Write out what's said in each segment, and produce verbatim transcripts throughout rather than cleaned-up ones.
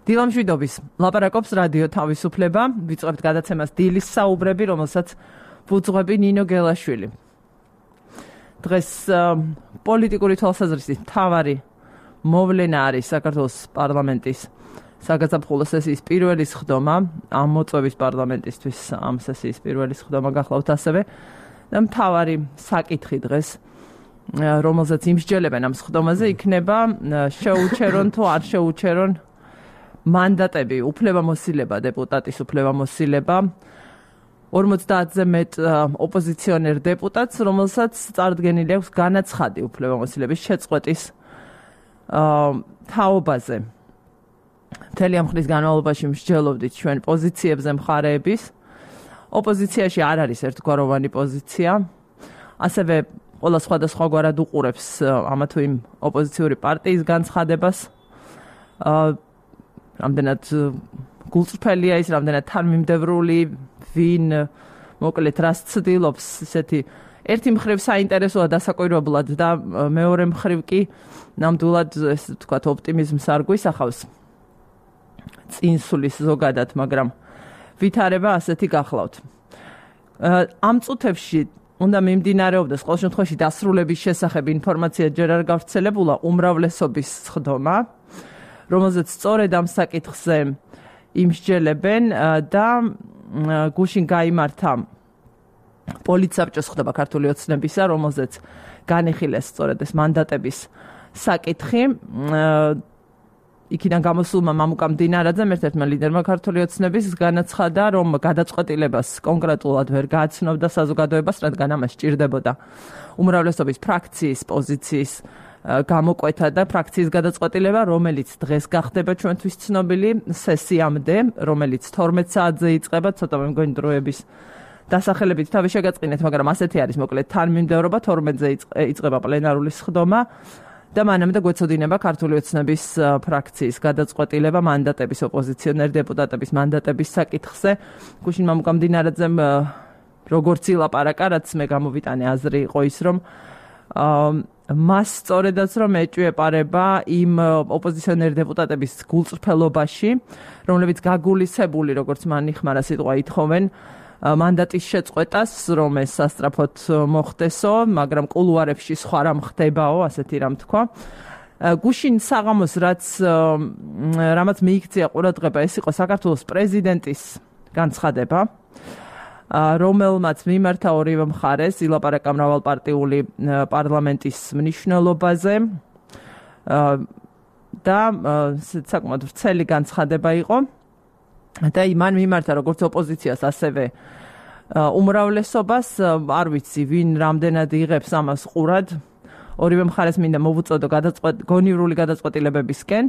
დილამშვიდობის ლაპარაკობს რადიო თავისუფლება, ვიწყებთ გადაცემას დილის საუბრები, რომელსაც ვუძღვები ნინო გელაშვილი. დღეს პოლიტიკური თვალსაზრისით მთავარი მოვლენა არის საქართველოს პარლამენტის საგაზაფხულო სესიის პირველი სხდომა, ამ მოწვევის პარლამენტისთვის ამ სესიის პირველი სხდომა გახლავთ ასევე და მთავარი საკითხი დღეს, რომელზეც იმსჯელებენ ამ სხდომაზე, იქნება შეუჩერონ თუ არ შეუჩერონ მანდატები, უფლებამოსილება, დეპუტატის უფლებამოსილება ორმოცდაათზე მეტ ოპოზიციონერ დეპუტატს, რომელსაც წარდგენილი აქვს განაცხადი უფლებამოსილების შეწყვეტის თაობაზე. მთელი ამ ხნის განმავლობაში მსჯელობდით ჩვენ პოზიციებზე მხარეების. ოპოზიციაში არ არის ერთგვაროვანი პოზიცია. ასევე ყველა სხვადასხვაგვარად უყურებს ამა თუ იმ ოპოზიციური პარტიის განცხადებას. რამდენად გულწრფელია ის, რამდენად თანმიმდევრული, ვინ მოკლედ რას ცდილობს, ისეთი ერთი მხრივ საინტერესოა დასაკვირვებლად და მეორე მხრივ კი ნამდვილად ესე ვთქვათ ოპტიმიზმს არ გვისახავს წინსulis ზოგადად, მაგრამ ვითარება ასეთი გახლავთ. ამ წუთებში უნდა მიმდინარეობდეს ყოველ შემთხვევაში დასრულების შესახებ ინფორმაცია ჯერ არ გავრცელებულა უმრავლესობის სხდომა, რომელზეც სწორედ ამ საკითხზე იმსჯელებენ და გუშინ გაიმართა პოლიტსაბჭოს სხდომა ქართული ოცნებისა, რომელზეც განიხილეს სწორედ ეს მანდატების საკითხი. იქიდან გამოსულმა მამუკა მდინარაძემ, ერთ-ერთმა ლიდერმა ქართული ოცნების, განაცხადა, რომ გადაწყვეტილებას კონკრეტულად ვერ გააცნობდა საზოგადოებას, რადგან ამას სჭირდებოდა უმრავლესობის ფრაქციის პოზიციის გამოკვეთა და ფრაქციის გადაწყვეტილება, რომელიც დღეს გახდება ჩვენთვის ცნობილი სესიამდე, რომელიც თორმეტ საათზე იწყება, ცოტა მე მგონი დროების დასახელებით თავი შეგაწყინეთ, მაგრამ ასეთი არის მოკლედ თანმიმდევრობა, თორმეტზე იწყება პლენარული სხდომა და მანამდე გვეცოდინება ქართული ოცნების ფრაქციის გადაწყვეტილება მანდატების ოპოზიციონერ დეპუტატების მანდატების საკითხზე. გუშინ მამუკა მდინარაძემ როგორც ილაპარაკა, რაც მე გამოვიტანე აზრი იყო ის, რომ მას სწორედაც რომ ეჭვიეპარება იმ ოპოზიციონერ დეპუტატების გულწრფელობაში, რომლებიც გაგულისებული, როგორც მან იხმარა სიტყვა, ითხოვენ მანდატის შეწყვეტას, რომ ეს სასწრაფოდ მოხდესო, მაგრამ კულუარებში სხვა რამ ხდებაო, ასეთი რამ თქვა. გუშინ საღამოს რაც რამაც მიიქცია ყურადღება, ეს იყო საქართველოს პრეზიდენტის განცხადება, რომელმაც მიმართა ორივე მხარეს, ილაპარაკა მრავალპარტიული პარლამენტის მნიშვნელობაზე და საკმაოდ ვრცელი განცხადება იყო. და იმან მიმართა როგორც ოპოზიციას, ასევე უმრავლესობას, არ ვიცი ვინ რამდენად იღებს ამას ყურად. ორივე მხარეს მინდა მოვუწოდო გონივრული გადაწყვეტილებებისკენ,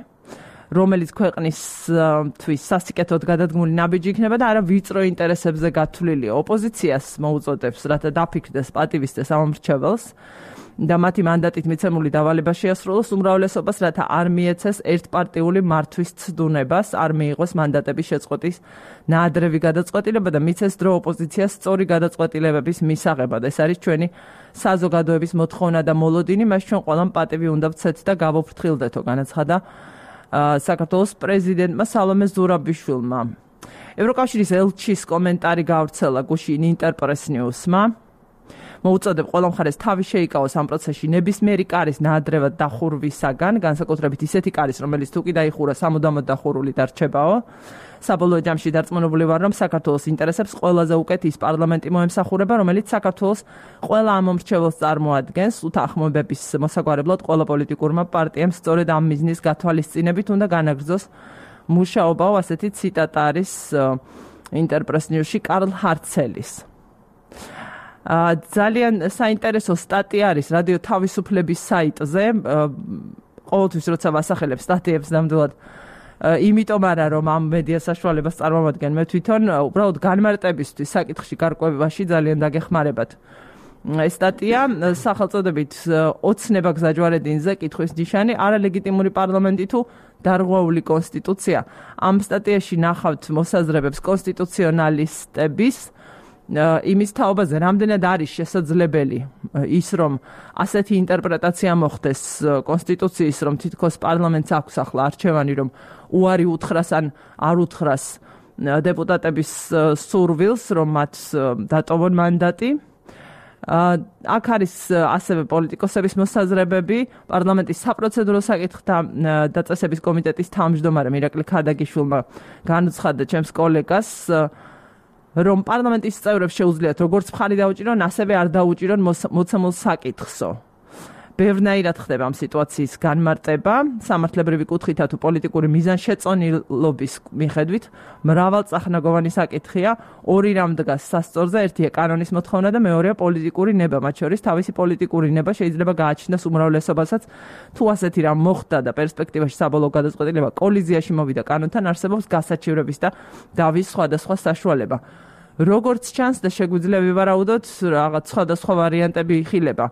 რომელიც ქვეყნისთვის სასიკეთოდ გადადგმული ნაბიჯი იქნება და არა ვიწრო ინტერესებზე გათვლილი. ოპოზიციას მოუწოდებს, რათა დაფიქრდეს, პატივისცეს ამ მრჩეველს და მათი მანდატით მიცემული დავალება შეასრულოს, უმრავლესობას, რათა არ მიეცეს ერთპარტიული მართვის ცდუნებას, არ მიიღოს მანდატების შეწყვეტის ნაადრევი გადაწყვეტილება და მიცეს დრო ოპოზიციას სწორი გადაწყვეტილებების მისაღებად. ეს არის ჩვენი საზოგადოების მოთხოვნა და მოლოდინი, მას ჩვენ ყველამ პატივი უნდა ვცეთ და გავოფრთხილდეთო, განაცხადა საქართველოს პრეზიდენტმა სალომე ზურაბიშვილმა. ევროკავშირის ელჩის კომენტარი გავრცელა გუშინ ინტერპრეს ნიუსმა. მოუწოდებ ყველა მხარეს თავი შეიკავოს ამ პროცესში ნებისმიერი კარის ნაადრევად დახურვისაგან, განსაკუთრებით ისეთი კარის, რომელიც თუ კი დაიხურა სამუდამოდ დახურული დარჩებაო. საბოლოო ჯამში დარწმუნებული ვარ, რომ საქართველოს ინტერესებს ყველაზე უკეთ ის პარლამენტი მოემსახურება, რომელიც საქართველოს ყველა ამ მომრჩეველს წარმოადგენს. უთანხმოებების მოსაგვარებლად ყველა პოლიტიკურმა პარტიამ სწორედ ამ მიზნის გათვალისწინებით უნდა განაგრძოს მუშაობაო, ასეთი ციტატა არის ინტერპრეს ნიუსში კარლ ჰარცელის. ძალიან საინტერესო სტატია არის რადიო თავისუფლების საიტზე. ყოველთვის როცა ვასახელებ სტატიებს ნამდვილად იმიტომ არა რომ ამ მედია საშუალებას წარმოვადგენ, მე თვითონ უბრალოდ განმარტებისთვის საკითხში გარკვევაში ძალიან დაგეხმარებათ. ეს სტატია სახელწოდებით ოცნება გზაჯვარედინზე, კითხვის ნიშანი, არალეგიტიმური პარლამენტი თუ დარღვეული კონსტიტუცია. ამ სტატიაში ნახავთ მოსაზრებებს კონსტიტუციონალისტების იმის თაობაზე რამდენად არის შესაძლებელი ის რომ ასეთი ინტერპრეტაცია მოხდეს კონსტიტუციის რომ თითქოს პარლამენტს აქვს ახლა არჩევანი რომ უარი უთხრას ან არ უთხრას დეპუტატების სურვილს რომ მათ დატოვონ მანდატი აქ არის ასევე პოლიტიკოსების მოსაზრებები პარლამენტის საპროცედურო საკითხთა დაწესების კომიტეტის თავმჯდომარემ ირაკლი ქადაგიშვილმა განუცხადა ჩემს კოლეგას რომ პარლამენტის წევრებს შეუძლიათ როგორც მხარი დაუჭირონ, ასევე არ დაუჭირონ მოცემულ საკითხსო. ბევრნაირად ხდება ამ სიტუაციის განმარტება, სამართლებრივი კუთხითა თუ პოლიტიკური მიზანშეწონილობის მიხედვით, მრავალწახნაგოვანი საკითხია, ორი რამ დგას სასწორზე, ერთია კანონის მოთხოვნა და მეორეა პოლიტიკური ნება, მათ შორის თავისი პოლიტიკური ნება შეიძლება გააჩნდეს უმრავლესობასაც, თუ ასეთი რამ მოხდა და პერსპექტივაში საბოლოო გადაწყვეტილება კოლიზიაში მოვიდა კანონთან, არსებობს გასაჩივრების და დავის სხვადასხვა საშუალება. როგორც ჩანს და შეგვიძლია ვივარაუდოთ, რაღაც სხვადასხვა ვარიანტები იხილება.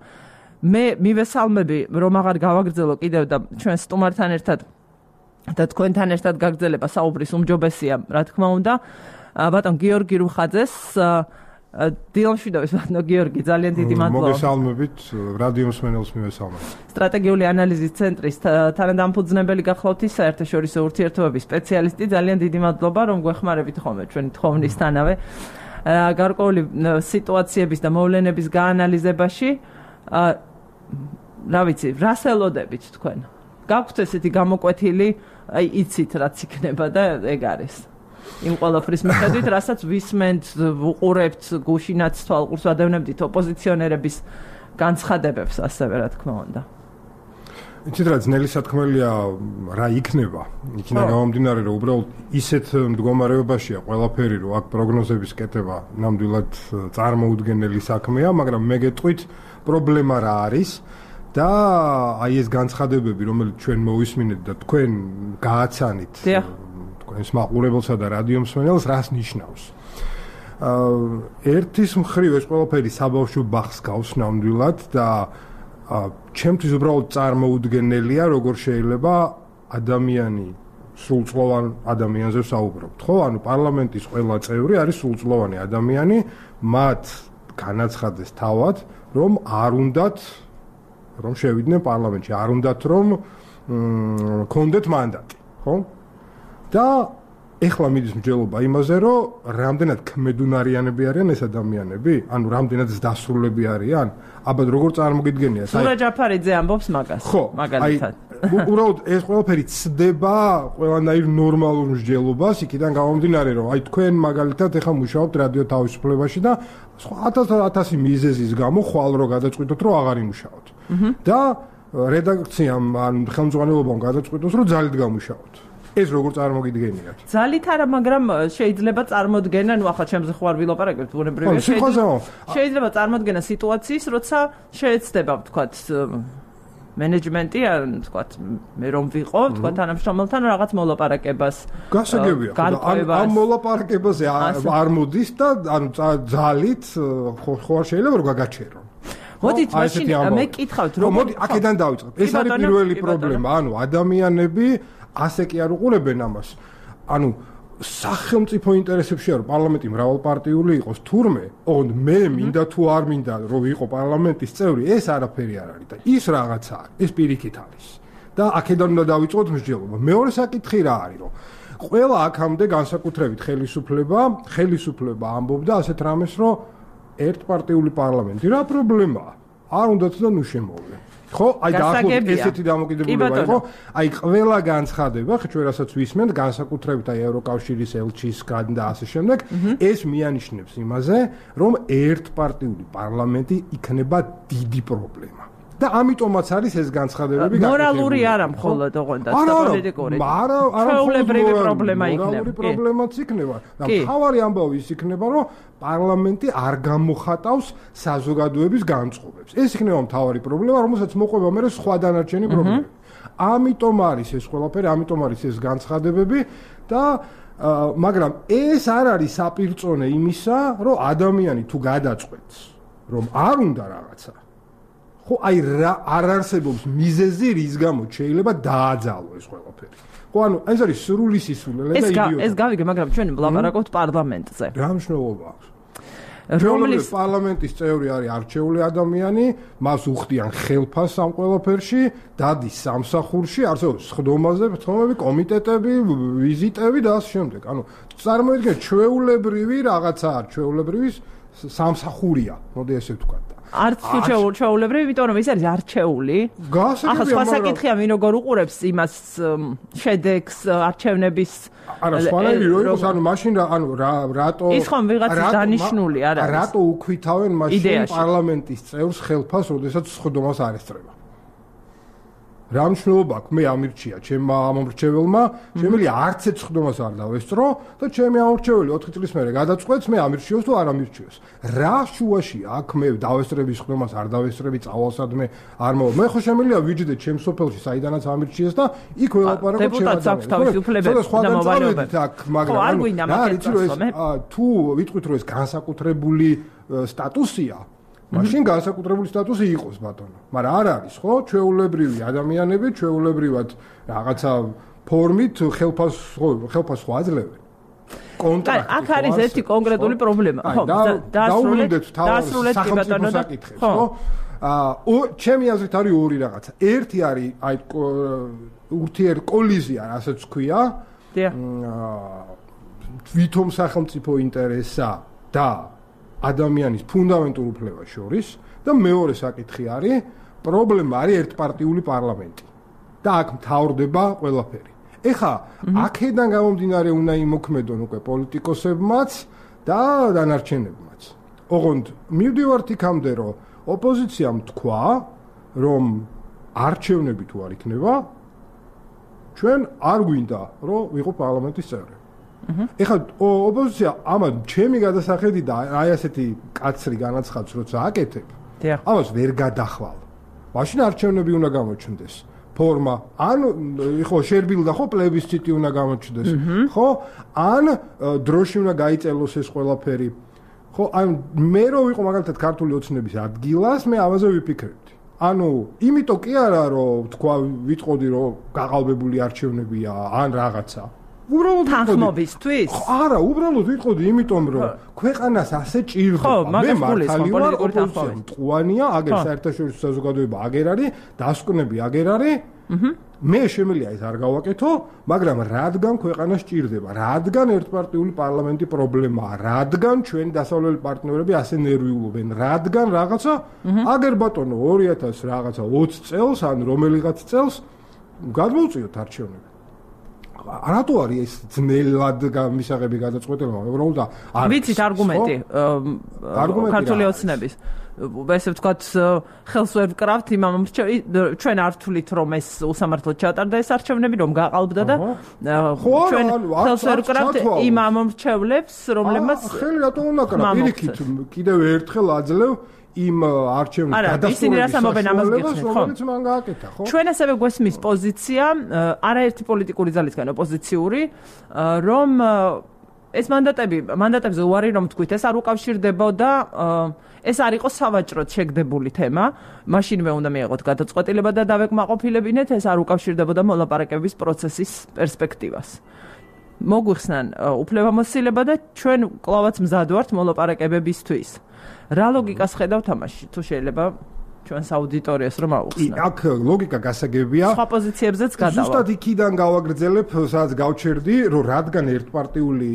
მე მივესალმები რომ აღარ გავაგრძელო კიდევ და ჩვენ სტუმართან ერთად და თქვენთან ერთად გაგრძელება საუბრის უმჯობესია რა თქმა უნდა ბატონ გიორგი რუხაძეს დილამშვიდობის ბატონო გიორგი ძალიან დიდი მადლობა მოგესალმებით რადიო მსმენელს მივესალმებით სტრატეგიული ანალიზის ცენტრის თანადამფუძნებელი გახლავთ საერთაშორისო ურთიერთობების სპეციალისტი ძალიან დიდი მადლობა რომ გვეხმარებით ხოლმე ჩვენი თხოვნისთანავე გარკვეული სიტუაციების და მოვლენების გაანალიზებაში რა ვიცი, რას ელოდებით თქვენ? გაქვთ ესეთი გამოკვეთილი, აი იცით რაც იქნება და ეგ არის. იმ ყველაფრის მიხედვით, რასაც ვისმენთ, ვუყურებთ, გუშინაც თვალყურს ვადევნებდით ოპოზიციონერების განცხადებებს, ასევე რა თქმა უნდა. იცით რა ძნელი სათქმელია რა იქნება? იქნება გამომდინარე, რომ უბრალოდ ისეთ მდგომარეობაშია ყველაფერი, რომ აქ პროგნოზების კეთება ნამდვილად წარმოუდგენელი საქმეა, მაგრამ მე გეტყვით პრობლემა რა არის და აი ეს განცხადებები, რომელიც ჩვენ მოვისმინეთ და თქვენ გააცანით თქვენს მაყურებელსა და რადიო მსმენელს, რას ნიშნავს? ერთის მხრივ ეს ყველაფერი საბავშვო ბაღს გავს ნამდვილად და ჩემთვის უბრალოდ წარმოუდგენელია, როგორ შეიძლება ადამიანი სრულწლოვან ადამიანზე საუბრობთ, ხო? ანუ პარლამენტის ყველა წევრი არის სრულწლოვანი ადამიანი, მათ განაცხადეს თავად რომ არ უნდათ რომ შევიდნენ პარლამენტში, არ უნდათ რომ კონდეთ მანდატი, ხო? და ეხლა მიდის მსჯელობა იმაზე, რომ რამდენად ქმედუნარიანები არიან ეს ადამიანები, ანუ რამდენად დასრულები არიან, აბა როგორ წარმოგიდგენია? სურა ჯაფარიძე ამბობს მაგას, მაგალითად. უბრალოდ ეს ყველაფერი ცდება ყველანაირ ნორმალურ მსჯელობას, იქიდან გამომდინარე, რომ აი თქვენ მაგალითად ეხლა მუშაობთ რადიო თავისუფლებაში და ათასი მიზეზის გამო ხვალ რო გადაწყვიტოთ, რომ აღარ იმუშაოთ. და რედაქციამ ან ხელმძღვანელობამ გადაწყვიტოს, რომ ძალით გამუშაოთ. ეს როგორ წარმოგიდგენიათ? ძალით არა, მაგრამ შეიძლება წარმოდგენა, ნუ ახლა ჩემზე ხო არ ვილაპარაკებთ, ბუნებრივია შეიძლება შეიძლება წარმოდგენა სიტუაციის, როცა შეეცდება, ვთქვათ, მენეჯმენტი, ან ვთქვათ, მე რომ ვიყო, ვთქვათ, თანამშრომელთან რაღაც მოლაპარაკებას. გასაგებია, ამ მოლაპარაკებაზე არ მოდის და ანუ ძალით ხო არ შეიძლება რომ გაგაჩერონ. მოდით მაშინ მე კითხავთ, რომ მოდი აქედან დავიწყებ. ეს არის პირველი პრობლემა, ანუ ადამიანები ასე კი არ უყურებენ ამას. ანუ სახელმწიფო ინტერესებშია რომ პარლამენტი მრავალპარტიული იყოს თურმე, ოღონდ მე მინდა თუ არ მინდა რომ ვიყო პარლამენტის წევრი, ეს არაფერი არ არის და ის რაღაცა არის, ეს პირიქით არის. და აქედან უნდა დავიწყოთ მსჯელობა. მეორე საკითხი რა არის, რომ ყველა აქამდე განსაკუთრებით ხელისუფლება, ხელისუფლება ამბობდა ასეთ რამეს, რომ ერთპარტიული პარლამენტი რა პრობლემაა? არ უნდათ და ნუ შემოვლენ. ხო, აი დაახლოებით ესეთი დამოკიდებულება იყო. აი ყველა განცხადება, ჩვენ რასაც ვისმენთ, განსაკუთრებით აი ევროკავშირის ელჩისგან და ასე შემდეგ, ეს მიანიშნებს იმაზე, რომ ერთპარტიული პარლამენტი იქნება დიდი პრობლემა. და ამიტომაც არის ეს განცხადებები გაკეთებული. მორალური არა მხოლოდ ოღონდ და პოლიტიკური. არა, არა, ჩვეულებრივი პრობლემა იქნება. მორალური პრობლემაც იქნება. და მთავარი ამბავი ის იქნება, რომ პარლამენტი არ გამოხატავს საზოგადოების განწყობებს. ეს იქნება მთავარი პრობლემა, რომელსაც მოყვება მე სხვა დანარჩენი პრობლემები. ამიტომ არის ეს ყველაფერი, ამიტომ არის ეს განცხადებები და მაგრამ ეს არ არის საპირწონე იმისა, რომ ადამიანი თუ გადაწყვეტს, რომ არ უნდა რაღაცა ხო აი რა არ არსებობს მიზეზი რის გამოც შეიძლება დააძალო ეს ყველაფერი. ხო ანუ ეს არის სრული სისულელე და იდიოტი. ეს ეს გავიგე, მაგრამ ჩვენ ვლაპარაკობთ პარლამენტზე. რა მნიშვნელობა აქვს? რომლის პარლამენტის წევრი არის არჩეული ადამიანი, მას უხდიან ხელფასს ამ ყველაფერში, დადის სამსახურში, არსებობს სხდომაზე, ფთომები, კომიტეტები, ვიზიტები და ასე შემდეგ. ანუ წარმოიდგინეთ, ჩვეულებრივი რაღაცაა, ჩვეულებრივი სამსახურია, მოდი ესე ვთქვა. არც თუ ჩვეულებრივი, იმიტომ რომ ის არის არჩეული. ახლა სხვა საკითხია, ვინ როგორ უყურებს იმას შედეგს არჩევნების არა, სხვანაირი რო იყოს, ანუ მაშინ ანუ რატო ის ხომ ვიღაცის დანიშნული არ არის. რატო უქვითავენ მაშინ პარლამენტის წევრს ხელფასს, როდესაც სხდომას არ ესწრება? რა მნიშვნელობა აქვს? მე ამირჩია ჩემმა ამომრჩეველმა, შემიძლია არც ერთ სხდომას არ დავესწრო და ჩემი ამომრჩეველი ოთხი წლის მერე გადაწყვეტს მე ამირჩიოს თუ არ ამირჩიოს. რა შუაში აქ მე დავესწრები სხდომას, არ დავესწრები, წავალსადმე არ მოვა. მე ხო შემიძლია ვიჯდე ჩემ სოფელში, საიდანაც ამირჩიეს და იქ ველაპარაკო ჩემ დეპუტატს აქვს თავისი უფლებები და მოვალეობები. მაგრამ ანუ რა არის რომ ეს თუ ვიტყვით რომ ეს განსაკუთრებული სტატუსია მაშინ განსაკუთრებული სტატუსი იყოს ბატონო. მაგრამ არ არის, ხო? ჩვეულებრივი ადამიანები, ჩვეულებრივად რაღაცა ფორმით ხელფას ხელფას ხო აძლევენ. კონტრაქტი. აქ არის ერთი კონკრეტული პრობლემა. ხო, დაასრულეთ დაასრულეთ კი ბატონო და ხო? აა ჩემი აზრით არის ორი რაღაცა. ერთი არის აი ურთიერ კოლიზია, რასაც ქვია. აა თვითონ სახელმწიფო ინტერესა და ადამიანის ფუნდამენტურ უფლებას შორის და მეორე საკითხი არის პრობლემა არის ერთპარტიული პარლამენტი და აქ მთავრდება ყველაფერი. ეხა აქედან გამომდინარე უნდა იმოქმედონ უკვე პოლიტიკოსებმაც და დანარჩენებმაც. ოღონდ მივდივართ იქამდე რომ ოპოზიციამ თქვა რომ არჩევნები თუ არ იქნება ჩვენ არ გვინდა რომ ვიყო პარლამენტის წევრები. ეხლა ოპოზიცია ამან ჩემი გადასახედი და აი ასეთი კაცრი განაცხადს როცა აკეთებ, ამას ვერ გადახვალ. მაშინ არჩევნები უნდა გამოჩნდეს. ფორმა, ან ხო შერბილდა ხო პლებისციტი უნდა გამოჩნდეს, ხო? ან დროში უნდა გაიწელოს ეს ყველაფერი. ხო, ან მე რო ვიყო მაგალითად ქართული ოცნების ადგილას, მე ამაზე ვიფიქრებდი. ანუ იმიტომ კი არა რომ თქვა ვიტყოდი რომ გაყალბებული არჩევნებია ან რაღაცა. უბრალოდ თანხმობისთვის? არა, უბრალოდ ვიტყოდი იმიტომ რომ ქვეყანას ასე ჭირდება. მე მართალი ვარ, ოპოზიცია მტყუანია, აგერ საერთაშორისო საზოგადოება აგერ არის, დასკვნები აგერ არის. მე შემიძლია ეს არ გავაკეთო, მაგრამ რადგან ქვეყანას ჭირდება, რადგან ერთპარტიული პარლამენტი პრობლემაა, რადგან ჩვენი დასავლელი პარტნიორები ასე ნერვიულობენ, რადგან რაღაცა აგერ ბატონო ორი ათას რაღაცა ოცი წელს ან რომელიღაც წელს გადმოვწიოთ არჩევნები. რატო არის ეს ძნელად მისაღები გადაწყვეტილება? უბრალოდ არ ვიცით არგუმენტი ქართული ოცნების. ესე ვთქვათ, ხელს ვერ ვკრავთ იმამ ჩვენ არ ვთვლით რომ ეს უსამართლოდ ჩატარდა ეს არჩევნები, რომ გაყალბდა და ჩვენ ხელს ვერ ვკრავთ იმ ამომრჩევლებს, რომლებმაც ხელი რატო უნდა კრა? პირიქით კიდევ ერთხელ აძლევ იმ არჩევნების გადასწორების რომელიც მან გააკეთა, ხო? ჩვენ ასევე გვესმის პოზიცია, არაერთი პოლიტიკური ძალისგან ოპოზიციური, რომ ეს მანდატები, მანდატებზე უარი რომ თქვით, ეს არ უკავშირდებოდა, ეს არ იყო სავაჭროდ შეგდებული თემა, მაშინვე უნდა მიიღოთ გადაწყვეტილება და დავეკმაყოფილებინეთ, ეს არ უკავშირდებოდა მოლაპარაკების პროცესის პერსპექტივას. მოგვიხსნან უფლებამოსილება და ჩვენ კლავაც მზად ვართ მოლაპარაკებებისთვის. რა ლოგიკას ხედავთ ამაში? თუ შეიძლება ჩვენს აუდიტორიას რომ აუხსნათ. აქ ლოგიკა გასაგებია. სხვა პოზიციებზეც გადავა. ზუსტად იქიდან გავაგრძელებ, სადაც გავჩერდი, რომ რადგან ერთპარტიული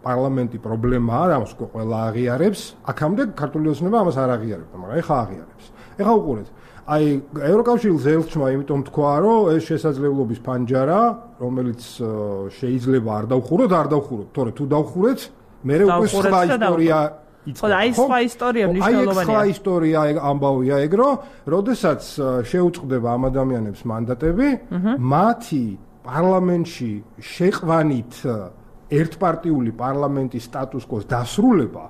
პარლამენტი პრობლემაა, ამას ყველა აღიარებს, აქამდე ქართული ოცნება ამას არ აღიარებდა, მაგრამ ეხა აღიარებს. ეხა უყურეთ. აი ევროკავშირის ელჩმა იმიტომ თქვა, რომ ეს შესაძლებლობის ფანჯარა, რომელიც შეიძლება არ დავხუროთ, არ დავხუროთ, თორე თუ დავხურეთ, მე უკვე სხვა ისტორია ხო და აი სხვა ისტორია მნიშვნელოვანია. აი სხვა ისტორია ამბავია ეგ, რომ როდესაც შეუწყდება ამ ადამიანებს მანდატები, მათი პარლამენტში შეყვანით ერთპარტიული პარლამენტის სტატუს-კვოს დასრულება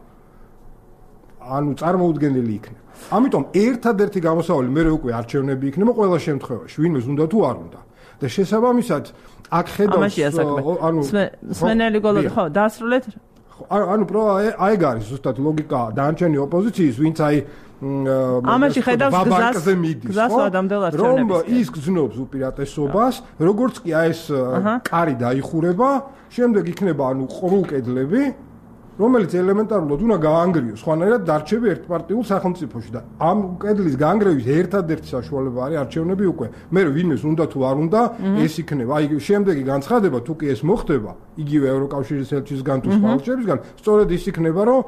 ანუ წარმოუდგენელი იქნება. ამიტომ ერთადერთი გამოსავალი მე უკვე არჩევნები იქნება ყველა შემთხვევაში, ვინმეს უნდა თუ არ უნდა. და შესაბამისად აქ ხედავს ანუ სმენელი გოლოდი ხო დაასრულეთ? ანუ პრო აი გარის ზუსტად ლოგიკა დანარჩენი ოპოზიციის, ვინც აი ამაში ხედავს გზას გზას ადამიანელ არჩევნებს. რომ ის გზნობს უპირატესობას, როგორც კი აი ეს კარი დაიხურება, შემდეგ იქნება ანუ ყრუ კედლები რომელიც ელემენტარულად უნდა გაანგრიოს, ხანერად დარჩები ერთპარტიულ სახელმწიფოში და ამ კედლის გაანგრევის ერთადერთი საშუალება არის არჩევნები უკვე. მე ვინმეს უნდა თუ არ უნდა, ეს იქნება. აი შემდეგი განცხადება, თუ კი ეს მოხდება, იგივე ევროკავშირის ელჩისგან თუ სხვა ელჩებისგან, სწორედ ის იქნება, რომ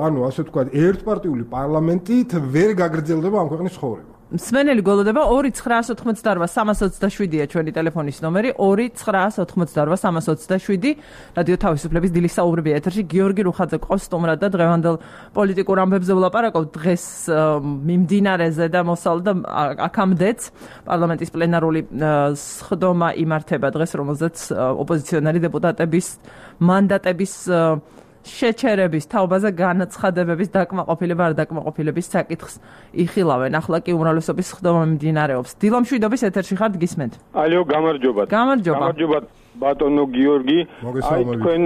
ანუ ასე ვთქვათ, ერთპარტიული პარლამენტით ვერ გაგრძელდება ამ ქვეყნის ცხოვრება. მსმენელი გოლოდება ორი ცხრაას ოთხმოცდაოთხ სამას ოცდაშვიდია ჩვენი ტელეფონის ნომერი ორი ცხრაას ოთხმოცდაოთხ სამას ოცდაშვიდი რადიო თავისუფლების დილის საუბრები ეთერში გიორგი რუხაძე ყავს სტუმრად და დღევანდელ პოლიტიკურ ამბებზე ვლაპარაკობთ დღეს მიმდინარეზე და მოსალ და აქამდეც პარლამენტის პლენარული სხდომა იმართება დღეს რომელზეც ოპოზიციონერი დეპუტატების მანდატების შეჩერების თაობაზე განაცხადებების დაკმაყოფილება არ დაკმაყოფილების საკითხს იხილავენ. ახლა კი უმრავლესობის სხდომა მიმდინარეობს. დილო მშვიდობის ეთერში ხართ გისმენთ. ალიო, გამარჯობათ. გამარჯობა. გამარჯობათ ბატონო გიორგი. აი თქვენ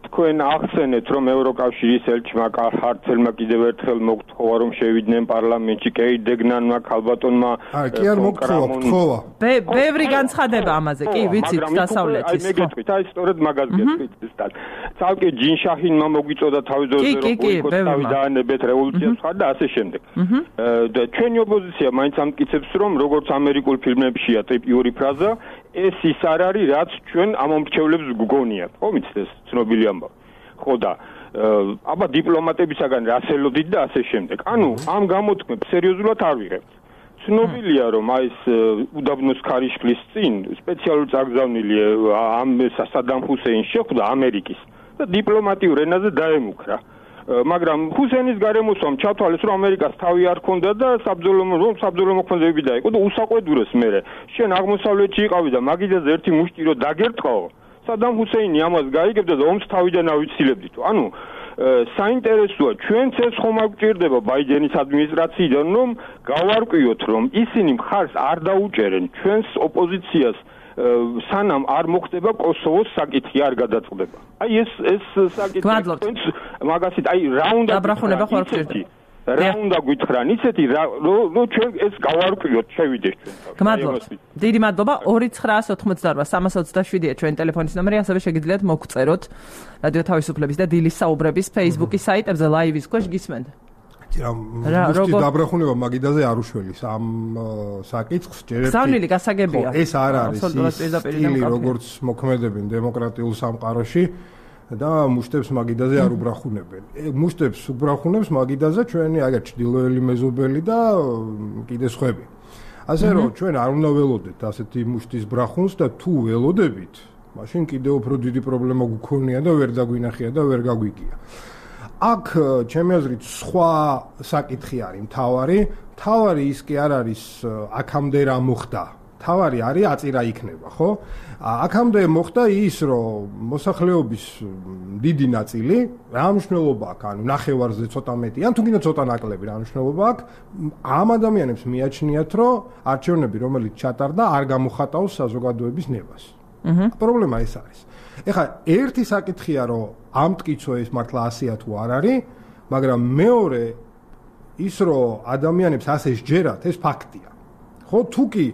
თქვენ ახსენეთ რომ ევროკავშირის ელჩმა ჰარტელმა კიდევ ერთხელ მოგთხოვა რომ შევიდნენ პარლამენტში კეიდეგნანმა ქალბატონმა აი კი არ მოგთხოვა გთხოვა ბევრი განცხადება ამაზე კი ვიცით დასავლეთის აი მე გეტყვით აი სწორედ მაგას გეტყვით ზუსტად ცალკე ჯინშაჰინმა მოგვიწოდა თავიდანვე რომ ბოიკოტი დაანებეთ რევოლუციას ხარ და ასე შემდეგ და ჩვენი ოპოზიცია მაინც ამტკიცებს რომ როგორც ამერიკულ ფილმებშია ტიპიური ფრაზა ეს ის არ არის რაც ჩვენ ამომრჩევლებს გგონიათ ხო მიცით ეს ცნობილი ამბავი ხო და აბა დიპლომატებისაგან რას ელოდით და ასე შემდეგ ანუ ამ გამოთქმებს სერიოზულად არ ვიღებთ ცნობილია რომ აი ეს უდაბნოს ქარიშხლის წინ სპეციალური წაგზავნილი ამ სადამ ჰუსეინს შეხვდა ამერიკის და დიპლომატიურ ენაზე დაემუქრა მაგრამ ჰუსეინის გარემოსვამ ჩათვალეს რომ ამერიკას თავი არ ქონდა და საბრძოლო რომ საბრძოლო მოქმედებები დაიყო და უსაყვედურეს მერე შენ აღმოსავლეთში იყავი და მაგიდაზე ერთი მუშტი რო დაგერტყაო სადამ ჰუსეინი ამას გაიგებდა და ომს თავიდან ავიცილებდით ანუ საინტერესოა ჩვენც ეს ხომ არ გვჭირდება ბაიდენის ადმინისტრაციიდან რომ გავარკვიოთ რომ ისინი მხარს არ დაუჭერენ ჩვენს ოპოზიციას სანამ არ მოხდება კოსოვოს საკითხი არ გადაწყდება. აი ეს ეს საკითხი თქვენს მაგასით აი რა უნდა დაბრახუნება ხარ გჭირდა. რა უნდა გითხრან ისეთი რომ ჩვენ ეს გავარკვიოთ შევიდეს ჩვენ. გმადლობთ. დიდი მადლობა ორი ცხრაას ოთხმოცდაოთხ სამას ოცდაშვიდია ჩვენი ტელეფონის ნომერი ასევე შეგიძლიათ მოგწეროთ რადიო თავისუფლების და დილის საუბრების Facebook-ის საიტებზე ლაივის ქვეშ გისმენთ. რა როგორ დაბრახუნება მაგიდაზე არ უშველის ამ საკითხს ჯერერთი სამნილი გასაგებია ეს არ არის სტილი როგორც მოქმედებენ დემოკრატიულ სამყაროში და მუშტებს მაგიდაზე არ უბრახუნებენ მუშტებს უბრახუნებს მაგიდაზე ჩვენი აგერ ჩრდილოელი მეზობელი და კიდე სხვები ასე რომ ჩვენ არ უნდა ველოდეთ ასეთი მუშტის ბრახუნს და თუ ველოდებით მაშინ კიდე უფრო დიდი პრობლემა გქონია და ვერ დაგვინახია და ვერ გაგვიგია აქ ჩემი აზრით სხვა საკითხი არის მთავარი მთავარი ის კი არ არის აქამდე რა მოხდა მთავარი არის აწირა იქნება ხო აქამდე მოხდა ის რომ მოსახლეობის დიდი ნაწილი რა მნიშვნელობა აქვს ანუ ნახევარზე ცოტა მეტი ან თუ კიდე ცოტა ნაკლები რა მნიშვნელობა აქვს ამ ადამიანებს მიაჩნიათ რომ არჩევნები რომელიც ჩატარდა არ გამოხატავს საზოგადოების ნებას პრობლემა ეს არის ეხლა ერთი საკითხია რომ ამ მტკიცო ეს მართლა ასეა თუ არ არის მაგრამ მეორე ის რომ ადამიანებს ასე სჯერათ ეს ფაქტია ხო თუ კი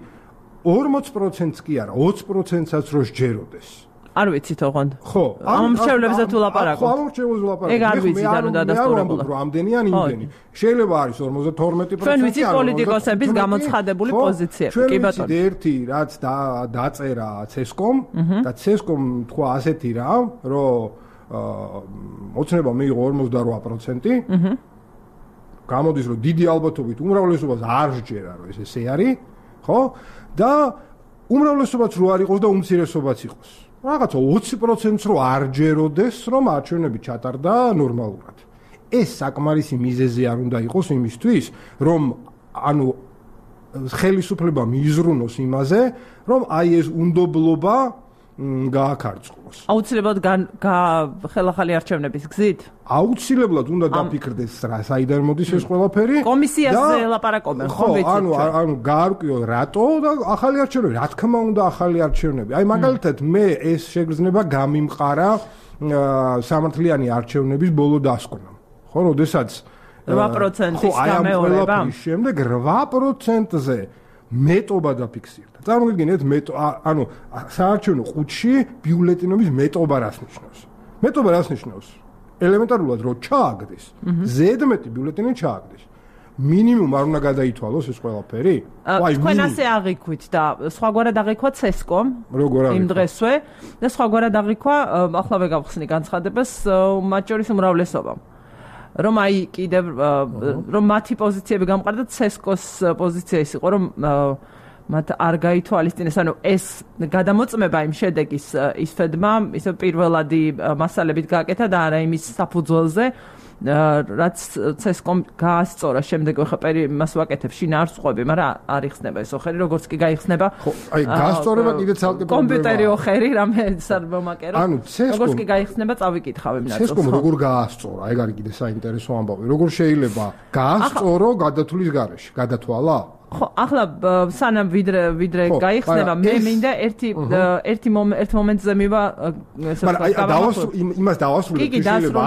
ორმოც პროცენტს კი არა ოცი პროცენტსაც რო სჯეროდეს არ ვიცით ოღონდ ხო ამ მრჩევლებზე თუ ლაპარაკობ ხო ამ მრჩევლებზე ლაპარაკობ ეგ არ ვიცით ანუ დადასტურებულა რომ ამდენი ან იმდენი შეიძლება არის ორმოცდათორმეტი პროცენტი ჩვენ ვიცით პოლიტიკოსების გამოცხადებული პოზიციები კი ბატონო ჩვენ ერთი რაც დაწერა ცესკომ და ცესკომ თქვა ასეთი რა რომ ოცნება მიიღო ორმოცდარვა პროცენტი გამოდის რომ დიდი ალბათობით უმრავლესობას არ სჯერა რომ ეს ესე არის ხო და უმრავლესობაც რო არ იყოს და უმცირესობაც იყოს რაღაცა ოცი პროცენტს რო არ ჯეროდეს რომ არჩევნები ჩატარდა ნორმალურად ეს საკმარისი მიზეზი არ უნდა იყოს იმისთვის რომ ანუ ხელისუფლება მიიზრუნოს იმაზე რომ აი ეს უნდობლობა გააქარწყლოს. აუცილებლად ხელახალი არჩევნების გზით? აუცილებლად უნდა დაფიქრდეს რა საიდან მოდის ეს ყველაფერი. კომისიაზე ლაპარაკობენ, ხო ვიცით. ანუ ანუ გაარკვიო რატო და ახალი არჩევნები, რა თქმა უნდა ახალი არჩევნები. აი მაგალითად მე ეს შეგრძნება გამიმყარა სამართლიანი არჩევნების ბოლო დასკვნამ. ხო, როდესაც რვა პროცენტის გამეორება. ხო, შემდეგ რვა პროცენტზე მეტობა დაფიქსირდა. წარმოგიდგენთ მეტო ანუ საარჩევნო ყუთში ბიულეტენობის მეტობა რას ნიშნავს? მეტობა რას ნიშნავს? ელემენტარულად რო ჩააგდეს, ზედმეტი ბიულეტენი ჩააგდეს. მინიმუმ არ უნდა გადაითვალოს ეს ყველაფერი? აი, თქვენ ასე აღიქვით და სხვაგვარად აღიქვა ცესკომ იმ დღესვე და სხვაგვარად აღიქვა ახლა ვეგავხსნი განცხადებას მათ შორის უმრავლესობამ. რომ აი კიდევ რომ მათი პოზიციები გამყარდა ცესკოს პოზიცია ის იყო რომ მათ არ გაითვალისწინეს ანუ ეს გადამოწმება იმ შედეგის ისფედმა ისე პირველადი მასალებით გააკეთა და არა იმის საფუძველზე რაც ცესკომ გაასწორა შემდეგ ხა პერი მას ვაკეთებ შინაარსხვები მაგრამ არ იხსნება ეს ოხერი როგორც კი გაიხსნება ხო აი გასწორება კიდე ცალკე პრობლემაა კომპიუტერი ოხერი რამე სარბომაკერო ანუ ცესკომ როგორც კი გაიხსნება წავიკითხავ იმ ნაწილს ცესკომ როგორ გაასწორა ეგ არის კიდე საინტერესო ამბავი როგორ შეიძლება გაასწორო გადათვლის გარეშე გადათვალა ხო ახლა სანამ ვიდრე ვიდრე გაიხსნება მე მინდა ერთი ერთი ერთ მომენტზე მივა მაგრამ აი დავასრულე იმას დავასრულე შეიძლება